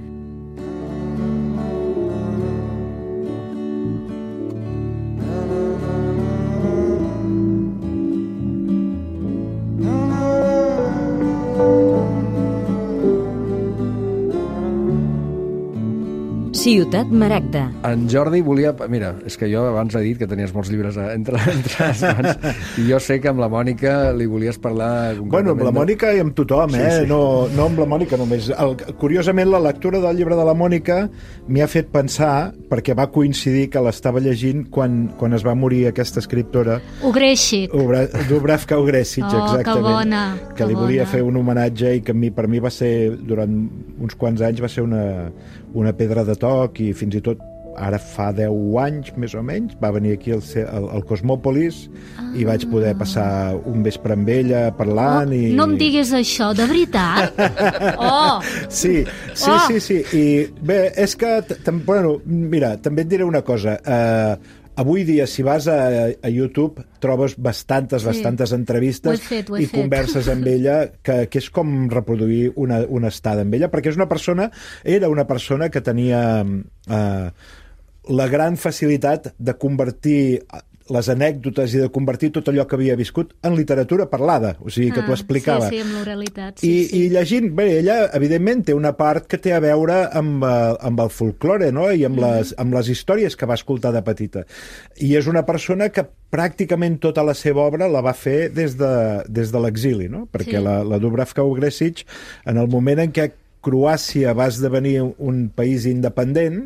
Ciutat Maragda. En Jordi volia... Mira, és que jo abans he dit que tenies molts llibres entre, entre les mans, i jo sé que amb la Mònica li volies parlar... Bueno, amb la Mònica i amb tothom, eh? Sí, sí. No, no amb la Mònica només. El, curiosament, la lectura del llibre de la Mònica m'hi ha fet pensar, perquè va coincidir que l'estava llegint quan, quan es va morir aquesta escriptora... Ugrešić. Dubravka Ugrešić, oh, exactament. Que bona. Que li bona. volia fer un homenatge i que a mi, per mi va ser, durant uns quants anys, va ser una, una pedra de toc, i fins i tot ara fa deu anys, més o menys, va venir aquí al, al, al Cosmòpolis ah. i vaig poder passar un vespre amb ella parlant. Oh, i... No em diguis això, de veritat? Oh! Sí, sí, oh. sí, sí. I bé, és que, bueno, mira, també et diré una cosa. Eh, avui dia, si vas a, a YouTube, trobes bastantes, sí. bastantes entrevistes fet, i fet. converses amb ella, que, que és com reproduir una, una estada amb ella, perquè és una persona, era una persona que tenia eh, la gran facilitat de convertir les anècdotes i de convertir tot allò que havia viscut en literatura parlada, o sigui, que ah, t'ho explicava. Sí, sí, amb l'oralitat. Sí, I, sí. I llegint, bé, ella, evidentment, té una part que té a veure amb, amb el folklore, no?, i amb, mm. les, amb les històries que va escoltar de petita. I és una persona que pràcticament tota la seva obra la va fer des de, des de l'exili, no?, perquè sí. la, la Dubravka Ugrešić, en el moment en què Croàcia va esdevenir un país independent,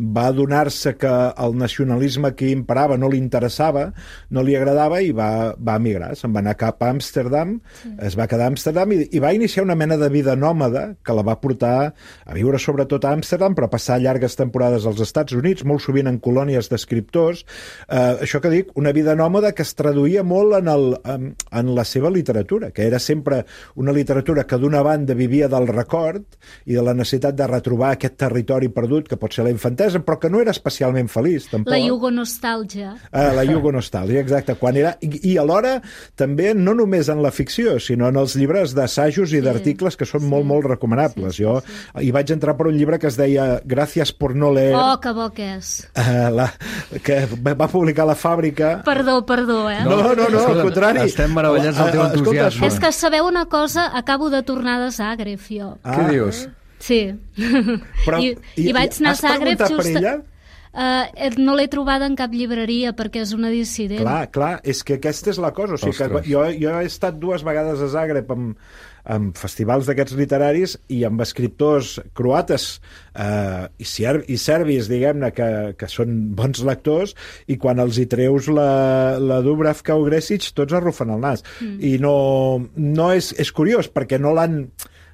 va adonar-se que el nacionalisme que imperava no li interessava, no li agradava, i va, va emigrar. Se'n va anar cap a Amsterdam, sí. es va quedar a Amsterdam i, i va iniciar una mena de vida nòmada que la va portar a viure sobretot a Amsterdam, però a passar llargues temporades als Estats Units, molt sovint en colònies d'escriptors. Eh, això que dic, una vida nòmada que es traduïa molt en, el, en, en la seva literatura, que era sempre una literatura que d'una banda vivia del record i de la necessitat de retrobar aquest territori perdut, que pot ser la infantesa, infantesa, però que no era especialment feliç, tampoc. La jugonostàlgia. Ah, la jugonostàlgia, exacte. Quan era... I, i alhora, també, no només en la ficció, sinó en els llibres d'assajos i Sí. d'articles que són Sí. molt, molt recomanables. Sí, sí, Jo sí. hi vaig entrar per un llibre que es deia Gràcies por no leer, Oh, que bo que és. eh, la, que va publicar la Fàbrica. Perdó, perdó, eh? No, no, no, al Escolta, contrari. estem meravellats del teu Ah, ah, escolta, entusiasme. És que sabeu una cosa? Acabo de tornar de Zagreb, jo. Ah, Què dius? Sí. Però, I, i vaig anar a has Zagreb preguntat per just... ella? Uh, no l'he trobada en cap llibreria perquè és una dissident. Clar, clar, és que aquesta és la cosa. O sigui, que Ostres. jo, jo he estat dues vegades a Zagreb amb, amb festivals d'aquests literaris i amb escriptors croates eh, i, ser, i serbis, diguem-ne, que, que són bons lectors, i quan els hi treus la, la Dubravka Ogresic, tots arrufen el nas. Mm. I no, no és, és curiós, perquè no l'han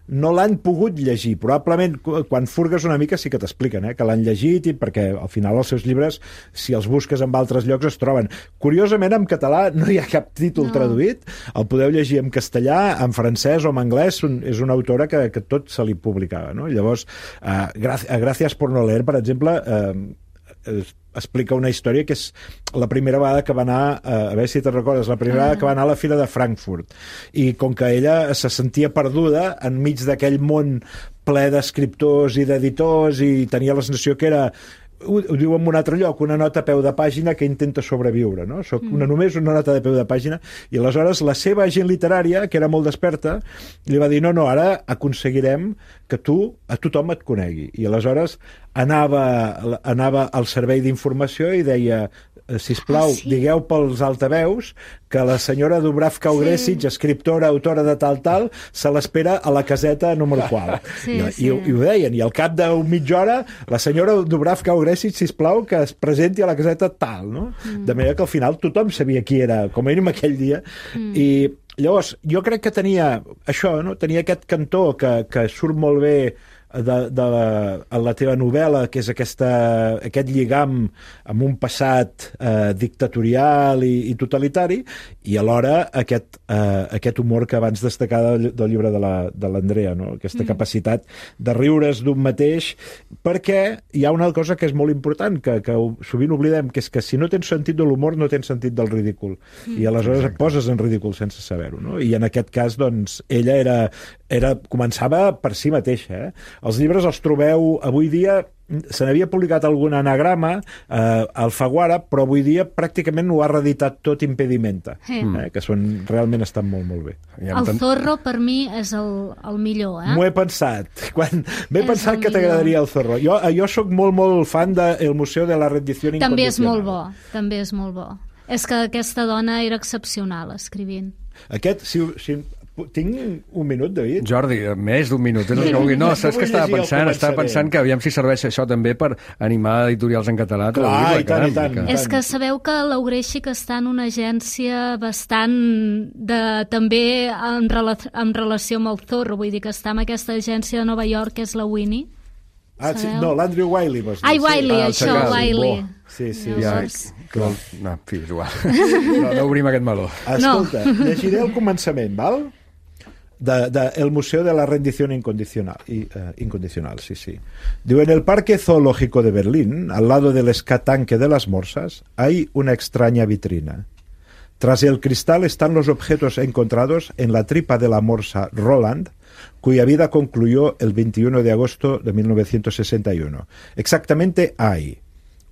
no l'han pogut llegir. Probablement, quan furgues una mica sí que t'expliquen eh, que l'han llegit, i perquè al final els seus llibres, si els busques en altres llocs, es troben. Curiosament, en català no hi ha cap títol No. traduït. El podeu llegir en castellà, en francès o en anglès. Un, és una autora que, que tot se li publicava. No? Llavors, eh, Gràcies por no leer, per exemple, eh, es, explica una història que és la primera vegada que va anar, eh, a veure si te'n recordes, la primera ah. vegada que va anar a la Fira de Frankfurt, i com que ella se sentia perduda enmig d'aquell món ple d'escriptors i d'editors, i tenia la sensació que era, ho, ho diu en un altre lloc, una nota a peu de pàgina que intenta sobreviure, no? Soc una, només una nota de peu de pàgina, i aleshores la seva agent literària, que era molt desperta, li va dir, no, no, ara aconseguirem que tu, a tothom et conegui. I aleshores anava, anava al servei d'informació i deia, sisplau, Ah, sí? digueu pels altaveus que la senyora Dubravka Ogresic, sí. escriptora, autora de tal, tal, se l'espera a la caseta número qual. Sí, I, sí. i, I ho deien, i al cap d'un mitja hora la senyora Dubravka Ogresic, sisplau, que es presenti a la caseta tal, no? Mm. De manera que al final tothom sabia qui era, com a mínim aquell dia, mm. i llavors jo crec que tenia això, no? Tenia aquest cantó que, que surt molt bé de, de la, a la teva novel·la, que és aquesta, aquest lligam amb un passat eh, dictatorial i, i totalitari, i alhora aquest, eh, aquest humor que abans destacava del, del llibre de l'Andrea, no? Aquesta mm. capacitat de riure's d'un mateix, perquè hi ha una cosa que és molt important, que, que sovint oblidem, que és que si no tens sentit de l'humor no tens sentit del ridícul, mm. i aleshores et poses en ridícul sense saber-ho, no? I en aquest cas, doncs, ella era, era, començava per si mateixa, eh? Els llibres els trobeu avui dia, se n'havia publicat algun anagrama eh, al Faguara, però avui dia pràcticament ho ha reeditat tot Impedimenta, Sí. eh, que són, realment estan molt, molt bé. Ja El em- Zorro, per mi, és el, el millor, eh? M'ho he pensat. Quan m'he És pensat el que t'agradaria el Zorro. Jo, jo sóc molt, molt fan del Museu de la Rendició Incondicional. També és molt bo, també és molt bo. És que aquesta dona era excepcional escrivint. Aquest, si, si tinc un minut, David? Jordi, més d'un minut, és el que vulgui. No, No saps vull que estava llegir el pensant? Estava començament. pensant que aviam si serveix això també per animar editorials en català. a Clar, traduir-la, i tant, i caram, tant. que- És que sabeu que l'Augréxic està en una agència bastant de, també en, rela en relació amb el Zorro, vull dir que està en aquesta agència de Nova York, que és la Winnie. Ah, sí, Sabeu? no, l'Andrew Wiley, vols dir. Ai, Wiley, Ah, el això, Chacal, Wiley. bo. Sí, sí. Ja, Llavors- que no, no, en fi, és igual. No, no obrim aquest meló. Escolta, llegiré el començament, val? De, de el Museo de la Rendición Incondicional, y, uh, Incondicional, sí, sí. Digo, en el Parque Zoológico de Berlín, al lado del escatanque de las morsas, hay una extraña vitrina. Tras el cristal están los objetos encontrados en la tripa de la morsa Roland, cuya vida concluyó el veintiuno de agosto de mil novecientos sesenta y uno. Exactamente hay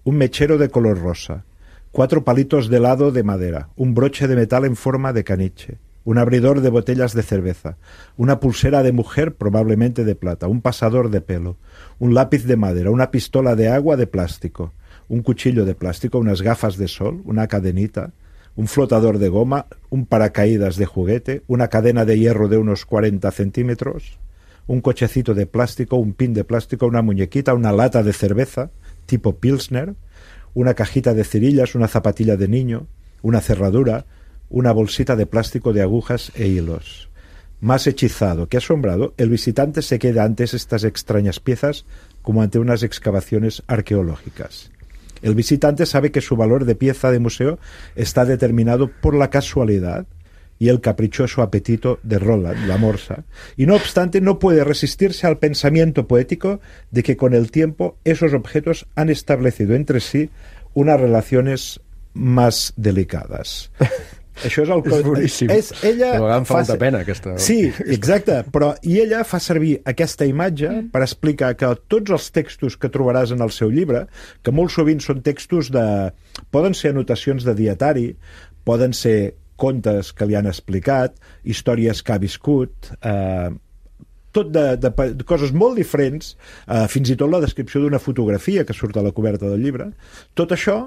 un mechero de color rosa, cuatro palitos de helado de madera, un broche de metal en forma de caniche, un abridor de botellas de cerveza, una pulsera de mujer probablemente de plata, un pasador de pelo, un lápiz de madera, una pistola de agua de plástico, un cuchillo de plástico, unas gafas de sol, una cadenita, un flotador de goma, un paracaídas de juguete, una cadena de hierro de unos cuarenta centímetros, un cochecito de plástico, un pin de plástico, una muñequita, una lata de cerveza tipo Pilsner, una cajita de cerillas, una zapatilla de niño, una cerradura, una bolsita de plástico de agujas e hilos. Más hechizado que asombrado, el visitante se queda ante estas extrañas piezas como ante unas excavaciones arqueológicas. El visitante sabe que su valor de pieza de museo está determinado por la casualidad y el caprichoso apetito de Roland, la morsa, y no obstante no puede resistirse al pensamiento poético de que con el tiempo esos objetos han establecido entre sí unas relaciones más delicadas. Això és el és boníssim. És, ella però em fa fa... molta pena aquesta... Sí, exacte, però i ella fa servir aquesta imatge mm. per explicar que tots els textos que trobaràs en el seu llibre, que molt sovint són textos de... poden ser anotacions de dietari, poden ser contes que li han explicat, històries que ha viscut, eh, tot de, de, de coses molt diferents, eh, fins i tot la descripció d'una fotografia que surt a la coberta del llibre. Tot això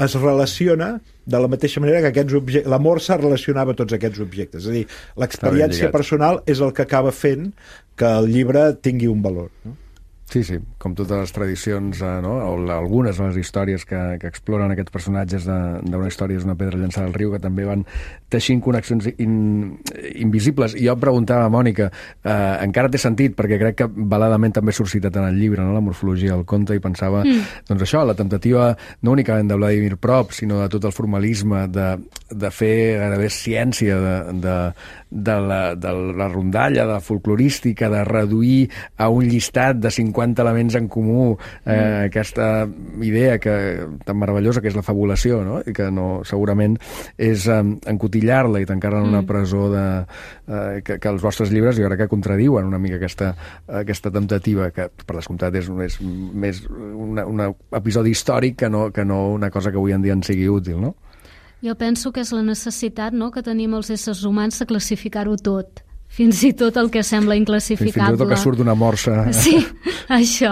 es relaciona de la mateixa manera que aquests objectes, la morsa relacionava tots aquests objectes. És a dir, l'experiència personal és el que acaba fent que el llibre tingui un valor, no? Sí, sí, com totes les tradicions, eh, no? o algunes de les històries que, que exploren aquests personatges d'una història és una pedra llançada al riu, que també van teixint connexions in, invisibles. I jo em preguntava, Mònica, eh, encara té sentit, perquè crec que valedament també surt citat en el llibre, no? La morfologia del conte, i pensava, mm. doncs això, la temptativa no únicament de Vladimir Prop, sinó de tot el formalisme, de, de fer gairebé ciència de, de, de, la, de la rondalla, de la folclorística, de reduir a un llistat de cinquanta elements en comú, eh, mm. aquesta idea que, tan meravellosa que és la fabulació, no? I que no, segurament és eh, encotillar-la i tancar-la en una mm. presó de, eh, que, que els vostres llibres jo crec que contradiuen una mica aquesta, aquesta temptativa, que per descomptat és, és més un episodi històric que no, que no una cosa que avui en dia en sigui útil, no? Jo penso que és la necessitat, no?, que tenim els éssers humans de classificar-ho tot, fins i tot el que sembla inclassificable. Fins i tot el que surt d'una morsa. Sí, això,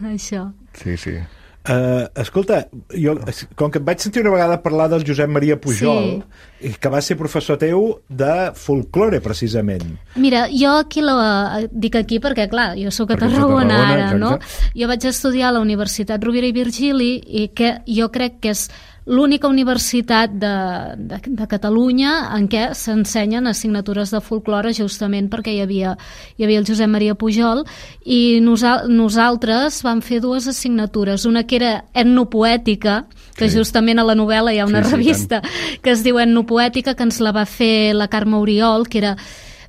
això. Sí, sí. Uh, escolta, jo, com que et vaig sentir una vegada parlar del Josep Maria Pujol, sí, que va ser professor teu de folklore, precisament. Mira, jo aquí la, dic aquí perquè, clar, jo sóc a Tarragona ara, no? Jo vaig estudiar a la Universitat Rovira i Virgili i que jo crec que és l'única universitat de, de, de Catalunya en què s'ensenyen assignatures de folklore, justament perquè hi havia, hi havia el Josep Maria Pujol, i nosal, nosaltres vam fer dues assignatures, una que era etnopoètica, que sí, justament a la novel·la hi ha una sí, revista sí, que es diu Etnopoètica, que ens la va fer la Carme Oriol, que era...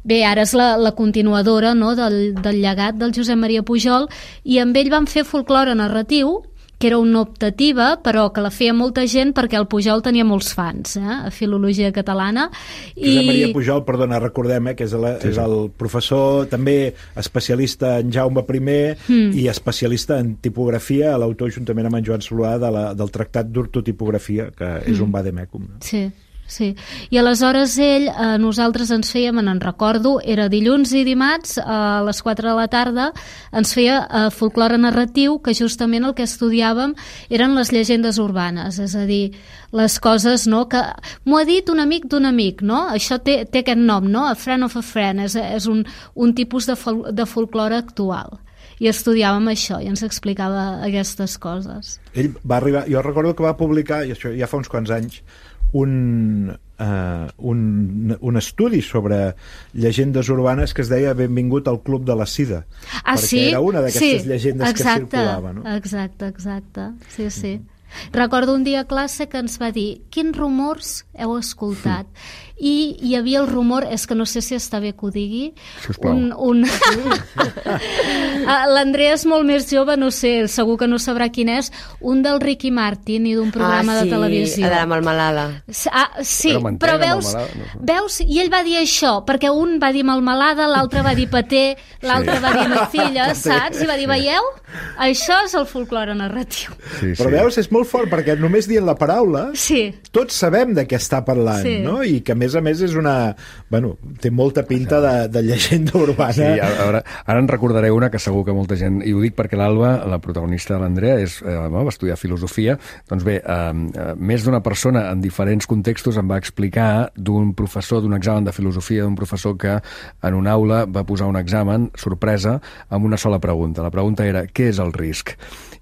Bé, ara és la, la continuadora, no?, del, del llegat del Josep Maria Pujol, i amb ell vam fer folklore narratiu, que era una optativa, però que la feia molta gent perquè el Pujol tenia molts fans, eh, a filologia catalana. I... Josep Maria Pujol, perdona, recordem, eh, que és, la, sí, és el professor també especialista en Jaume primer mm. i especialista en tipografia, l'autor juntament amb en Joan Solà de la, del Tractat d'Ortotipografia, que és mm. un vademecum. No? Sí. Sí, i aleshores ell, eh, nosaltres ens fèiem, en recordo, era dilluns i dimarts a les quatre de la tarda, ens feia eh, folklore narratiu, que justament el que estudiàvem eren les llegendes urbanes, és a dir, les coses, no?, que m'ho ha dit un amic d'un amic, no? Això té, té aquest nom, no? A friend of a friend, és, és un, un tipus de, fol de folklore actual. I estudiàvem això i ens explicava aquestes coses. Ell va arribar, jo recordo que va publicar, i això ja fa uns quants anys, un, uh, un, un estudi sobre llegendes urbanes que es deia Benvingut al Club de la Sida. Ah, perquè sí? Era una d'aquestes sí, llegendes exacte, que circulava, no? Exacte, exacte. Sí, sí. Mm-hmm. Recordo un dia a classe que ens va dir quins rumors heu escoltat? Mm. I hi havia el rumor, és que no sé si està bé que ho digui, un, un... l'Andrea és molt més jove, no sé, segur que no sabrà quin és, un del Ricky Martin i d'un programa ah, sí, de televisió. Ah, sí, de la melmelada. Ah, sí, però, però veus, no sé. veus, i ell va dir això, perquè un va dir melmelada, l'altre va dir paté, l'altre sí. va dir nocilla, saps? I va dir, veieu? Això és el folklore narratiu. Sí, sí. Però veus, és molt fort, perquè només dient la paraula, sí. tots sabem de què està parlant, sí. no? I que a més a més és una... Bueno, té molta pinta de, de llegenda urbana. Sí, ara, ara en recordaré una que segur que molta gent... I ho dic perquè l'Alba, la protagonista de l'Andrea, és, eh, va estudiar filosofia. Doncs bé, eh, més d'una persona en diferents contextos em va explicar d'un professor, d'un examen de filosofia, d'un professor que en una aula va posar un examen, sorpresa, amb una sola pregunta. La pregunta era, què és el risc?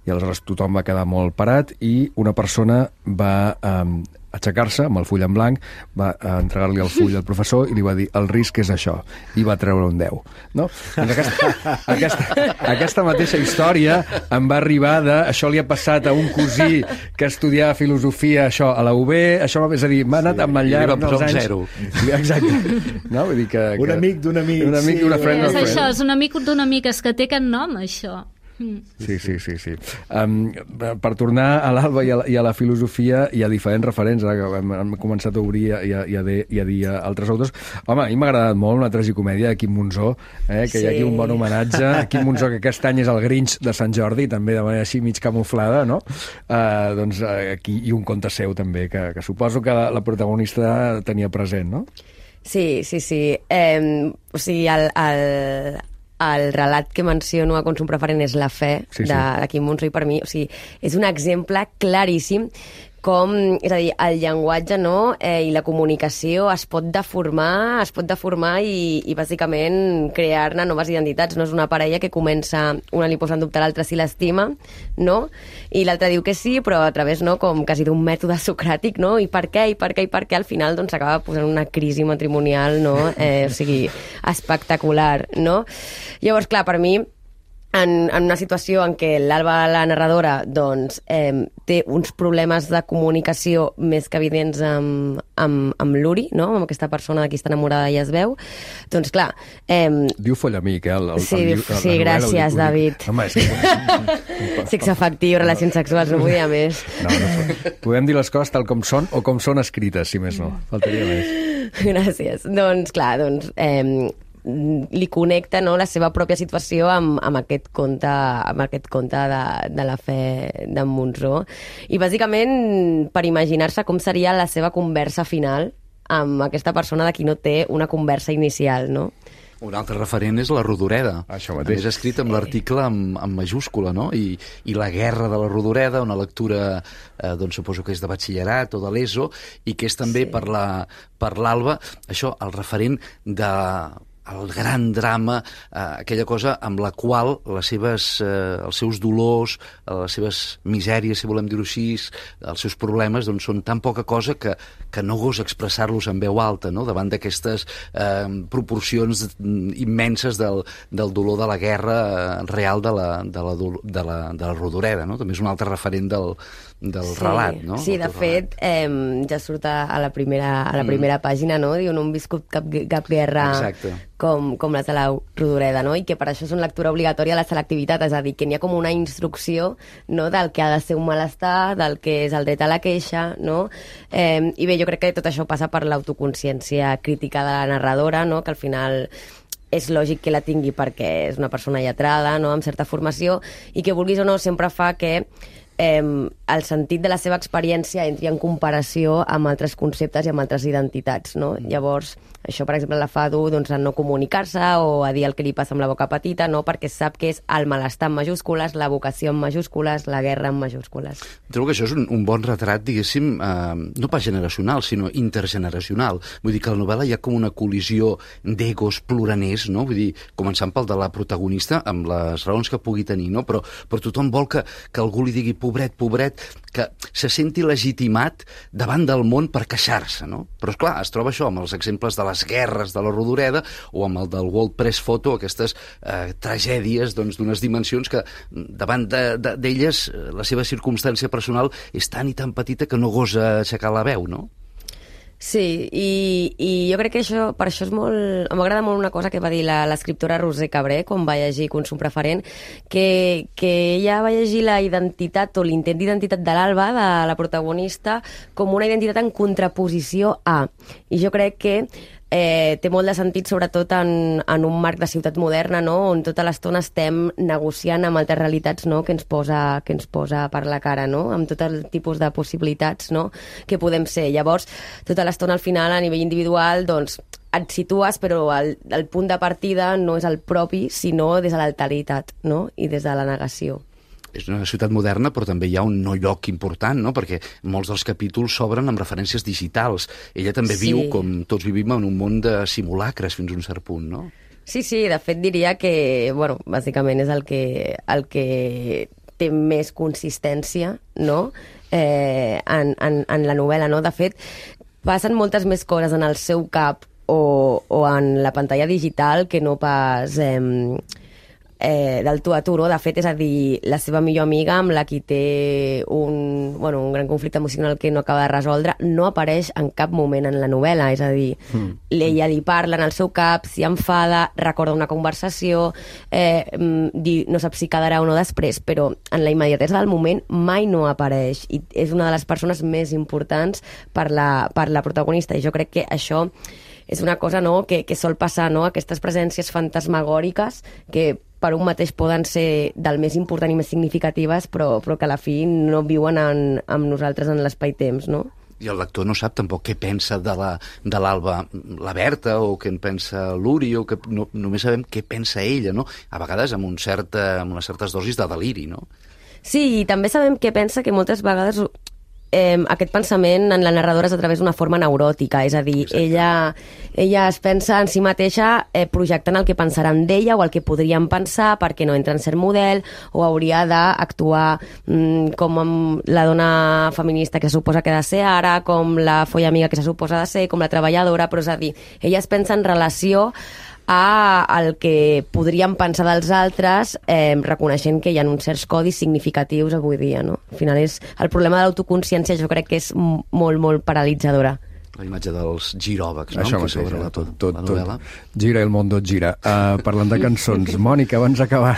I aleshores tothom va quedar molt parat i una persona va... Eh, aixecar-se amb el full en blanc, va entregar-li el full al professor i li va dir el risc és això, i va treure un deu. No? Doncs aquesta, aquesta, aquesta mateixa història em va arribar de... Això li ha passat a un cosí que estudiava filosofia, això, a la U B, això, és a dir, m'ha anat amb el llarg dels anys... zero. Exacte. No? Vull dir que, que... Un amic d'un amic. Un amic sí, d'una friend És of friend. això, és un amic d'un amic, és que té aquest nom, això. Sí, sí, sí. sí. Um, per tornar a l'Alba i, a la, i a la filosofia, hi ha diferents referents, ara que hem, hem començat a obrir i a, i a, de, i a dir altres autors. Home, a mi m'ha agradat molt una tragicomèdia de Quim Monzó, eh, que sí. Hi ha aquí un bon homenatge. Quim Monzó, que aquest any és el Grinch de Sant Jordi, també de manera així mig camuflada, no? Uh, doncs aquí hi ha un conte seu també, que, que suposo que la, la protagonista tenia present, no? Sí, sí, sí. Eh, o sigui, el... el... el relat que menciono a Consum Preferent és La fe, sí, sí. de, de Quim Monzó, i per mi, o sigui, és un exemple claríssim com, és a dir, el llenguatge, no, eh, i la comunicació es pot deformar, es pot deformar i, i bàsicament crear-ne noves identitats. No és una parella que comença, una li posa en dubte l'altra si l'estima, no? I l'altra diu que sí, però a través, no, com quasi d'un mètode socràtic, no? I per què, i per què, i per què, al final doncs acaba posant una crisi matrimonial, no? Eh, o sigui, espectacular, no? Llavors, clar, per mi, En, en una situació en què l'Alba, la narradora, doncs, eh, té uns problemes de comunicació més que evidents amb, amb, amb l'Uri, no? Amb aquesta persona de qui està enamorada i es veu, doncs clar... Eh, diu follamic, eh? El, el, sí, el, el, el, sí, gràcies, David. Home, és que... Sexe afectiu, relacions sexuals, no vull dir més. No, no, podem dir les coses tal com són o com són escrites, si més no. Faltaria més. Gràcies. Doncs clar, doncs... Eh, li connecta, no, la seva pròpia situació amb, amb aquest conte, amb aquest conte de, de La fe d'en Monzó. I bàsicament per imaginar-se com seria la seva conversa final amb aquesta persona de qui no té una conversa inicial, no? Un altre referent és la Rodoreda. Això mateix. És escrit amb l'article amb, amb majúscula, no? I, I la guerra de la Rodoreda, una lectura, eh, doncs suposo que és de batxillerat o de l'ESO, i que és també sí. per la, per l'Alba, això, el referent de... el gran drama, eh, aquella cosa amb la qual les seves, eh, els seus dolors, eh, les seves misèries, si volem dir-ho així, els seus problemes, doncs són tan poca cosa que, que no gosa expressar-los en veu alta, no? Davant d'aquestes eh, proporcions immenses del, del dolor de la guerra eh, real de la, de, la, de, la, de la Rodoreda, no? També és un altre referent del, del sí, relat, no? Sí, de fet, eh, ja surt a la primera, a la primera mm. pàgina, no? Diu, no hem viscut cap, cap guerra... Exacte. Com, com les de la Rodoreda, no? I que per això és una lectura obligatòria a la selectivitat, és a dir, que n'hi ha com una instrucció, no?, del que ha de ser un malestar, del que és el dret a la queixa, no? Eh, I bé, jo crec que tot això passa per l'autoconsciència crítica de la narradora, no?, que al final és lògic que la tingui perquè és una persona lletrada, no?, amb certa formació, i que vulguis o no sempre fa que eh, el sentit de la seva experiència entri en comparació amb altres conceptes i amb altres identitats, no? Mm. Llavors, això, per exemple, la fa dur doncs, a no comunicar-se o a dir el que li passa amb la boca petita, no? Perquè sap que és el malestar en majúscules, la vocació en majúscules, la guerra en majúscules. Trobo que això és un, un bon retrat, diguéssim, eh, no pas generacional, sinó intergeneracional. Vull dir que a la novel·la hi ha com una col·lisió d'egos ploraners, no? Vull dir, començant pel de la protagonista, amb les raons que pugui tenir, no? Però, però tothom vol que, que algú li digui pobret, pobret, que se senti legitimat davant del món per queixar-se, no? Però, esclar, es troba això amb els exemples de les guerres de la Rodoreda o amb el del World Press Photo, aquestes eh, tragèdies doncs, d'unes dimensions que davant d'elles de, de, la seva circumstància personal és tan i tan petita que no gosa aixecar la veu, no? Sí, i, i jo crec que això, per això és molt... M'agrada molt una cosa que va dir l'escriptora Roser Cabré quan va llegir Consum Preferent, que, que ella va llegir la identitat o l'intent d'identitat de l'Alba, de la protagonista, com una identitat en contraposició a. I jo crec que eh, té molt de sentit, sobretot en, en un marc de ciutat moderna, no?, on tota l'estona estem negociant amb altres realitats, no?, que ens posa, que ens posa per la cara, no?, amb tot el tipus de possibilitats, no?, que podem ser. Llavors, tota l'estona al final, a nivell individual, doncs, et situes, però el, el punt de partida no és el propi, sinó des de l'alteritat, no?, i des de la negació. És una ciutat moderna, però també hi ha un no lloc important, no? Perquè molts dels capítols s'obren amb referències digitals. Ella també sí. viu, com tots vivim, en un món de simulacres fins a un cert punt, no? Sí, sí, de fet diria que, bueno, bàsicament és el que, el que té més consistència, no?, eh, en, en, en la novel·la, no? De fet, passen moltes més coses en el seu cap o, o en la pantalla digital que no pas eh, eh, del tu a tu, no? De fet, és a dir, la seva millor amiga amb la qui té un, bueno, un gran conflicte emocional que no acaba de resoldre, no apareix en cap moment en la novel·la, és a dir, mm. ella li parla en el seu cap, s'hi enfada, recorda una conversació, eh, no sap si quedarà o no després, però en la immediatesa del moment mai no apareix, i és una de les persones més importants per la, per la protagonista, i jo crec que això és una cosa, no?, que, que sol passar, no?, aquestes presències fantasmagòriques que per un mateix poden ser del més important i més significatives, però, però que a la fi no viuen en, amb nosaltres en l'espai-temps, no? I el lector no sap tampoc què pensa de la, de l'Alba, la Berta, o què en pensa l'Uri, o que no, només sabem què pensa ella, no? A vegades amb, un cert, amb unes certes dosis de deliri, no? Sí, i també sabem què pensa, que moltes vegades eh, aquest pensament en la narradora és a través d'una forma neuròtica, és a dir, ella, ella es pensa en si mateixa eh, projectant el que pensaran d'ella o el que podrien pensar perquè no entra en cert model o hauria d'actuar mm, com amb la dona feminista que se suposa que ha de ser ara, com la folla amiga que se suposa de ser, com la treballadora, però és a dir, ella es pensa en relació a el que podríem pensar dels altres, eh, reconeixent que hi ha uns certs codis significatius avui dia, no? Al final és el problema de l'autoconsciència, jo crec que és molt, molt paralitzadora. La imatge dels giròvags, no? Això Que mateix, s'obre la, tot, tot, la tot. novel·la. Gira el mondo gira. Uh, parlant de cançons, Mònica, abans d'acabar,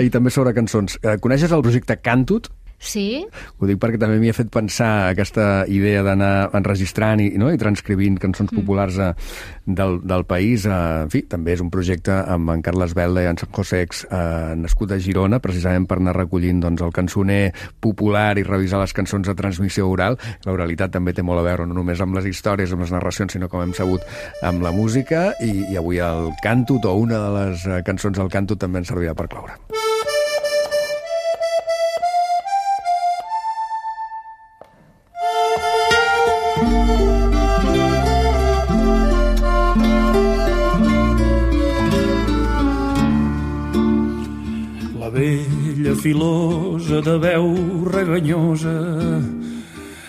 i també sobre cançons, uh, coneixes el projecte Cantut? Sí. Ho dic perquè també m'hi ha fet pensar aquesta idea d'anar enregistrant i, no? i transcrivint cançons mm. populars uh, del, del país. Uh, en fi, també és un projecte amb en Carles Belda i en San Josex, uh, nascut a Girona, precisament per anar recollint doncs, el cançoner popular i revisar les cançons de transmissió oral. L'oralitat també té molt a veure, no només amb les històries, amb les narracions, sinó com hem sabut amb la música, i, i avui el Cantut, o una de les uh, cançons del Cantut, també ens servirà per cloure. Vella filosa de veu reganyosa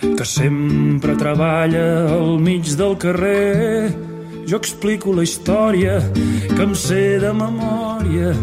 que sempre treballa al mig del carrer. Jo explico la història que em sé de memòria.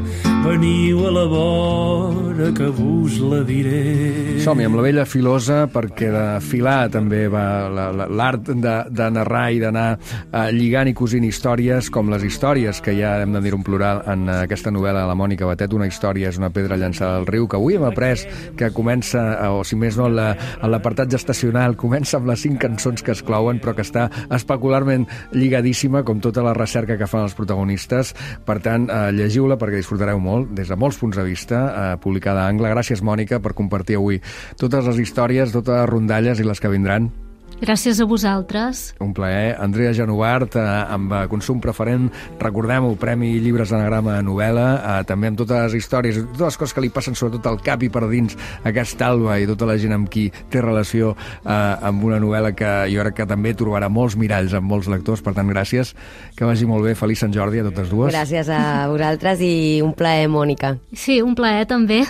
Veniu a la vora que vos la diré. Som-hi amb la vella filosa, perquè de filar també va l'art de, de narrar i d'anar uh, lligant i cosint històries, com les històries que ja hem de dir un plural en aquesta novel·la de la Mònica Batet. Una història és una pedra llançada al riu, que avui hem après que comença, o si més no, en l'apartat gestacional, comença amb les cinc cançons que es clouen, però que està especularment lligadíssima, com tota la recerca que fan els protagonistes. Per tant, uh, llegiu-la perquè disfrutareu molt, des de molts punts de vista, eh, publicada a Angle. Gràcies, Mònica, per compartir avui totes les històries, totes les rondalles i les que vindran. Gràcies a vosaltres. Un plaer. Andrea Genovart, eh, amb Consum Preferent, recordem-ho, Premi Llibres d'Anagrama a novel·la, eh, també amb totes les històries, totes les coses que li passen sobretot al cap i per dins aquesta Alba i tota la gent amb qui té relació eh, amb una novel·la que jo crec que també trobarà molts miralls amb molts lectors. Per tant, gràcies, que vagi molt bé. Feliç Sant Jordi a totes dues. Gràcies a vosaltres i un plaer, Mònica. Sí, un plaer també.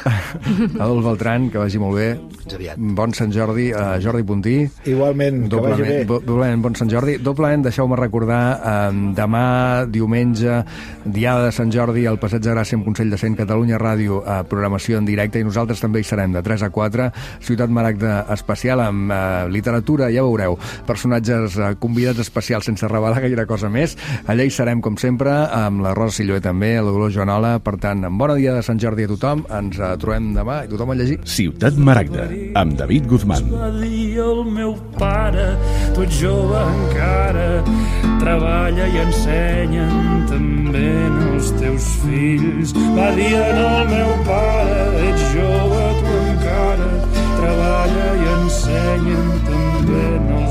Adolf Beltran, que vagi molt bé. Fins aviat. Bon Sant Jordi. Uh, Jordi Puntí. Igualment, que vagi bé. Doblement, bon Sant Jordi. Doblement, deixeu-me recordar, eh, demà, diumenge, diada de Sant Jordi, al Passeig de Gràcia amb Consell de Cent, Catalunya Ràdio, eh, programació en directe, i nosaltres també hi serem de tres a quatre, Ciutat Maragda especial amb eh, literatura, ja veureu, personatges eh, convidats especials sense revelar gaire cosa més. Allà hi serem, com sempre, amb la Rosa Silloé també, la Dolors Joanola. Per tant, en bona dia de Sant Jordi a tothom. Ens eh, trobem demà i tothom a llegir. Ciutat Maragda, amb David Guzmán. Va dir el meu pare, tu ets jove encara, treballa i ensenyen també els teus fills. Va dir el meu pare, ets jove tu encara, treballa i ensenyen també els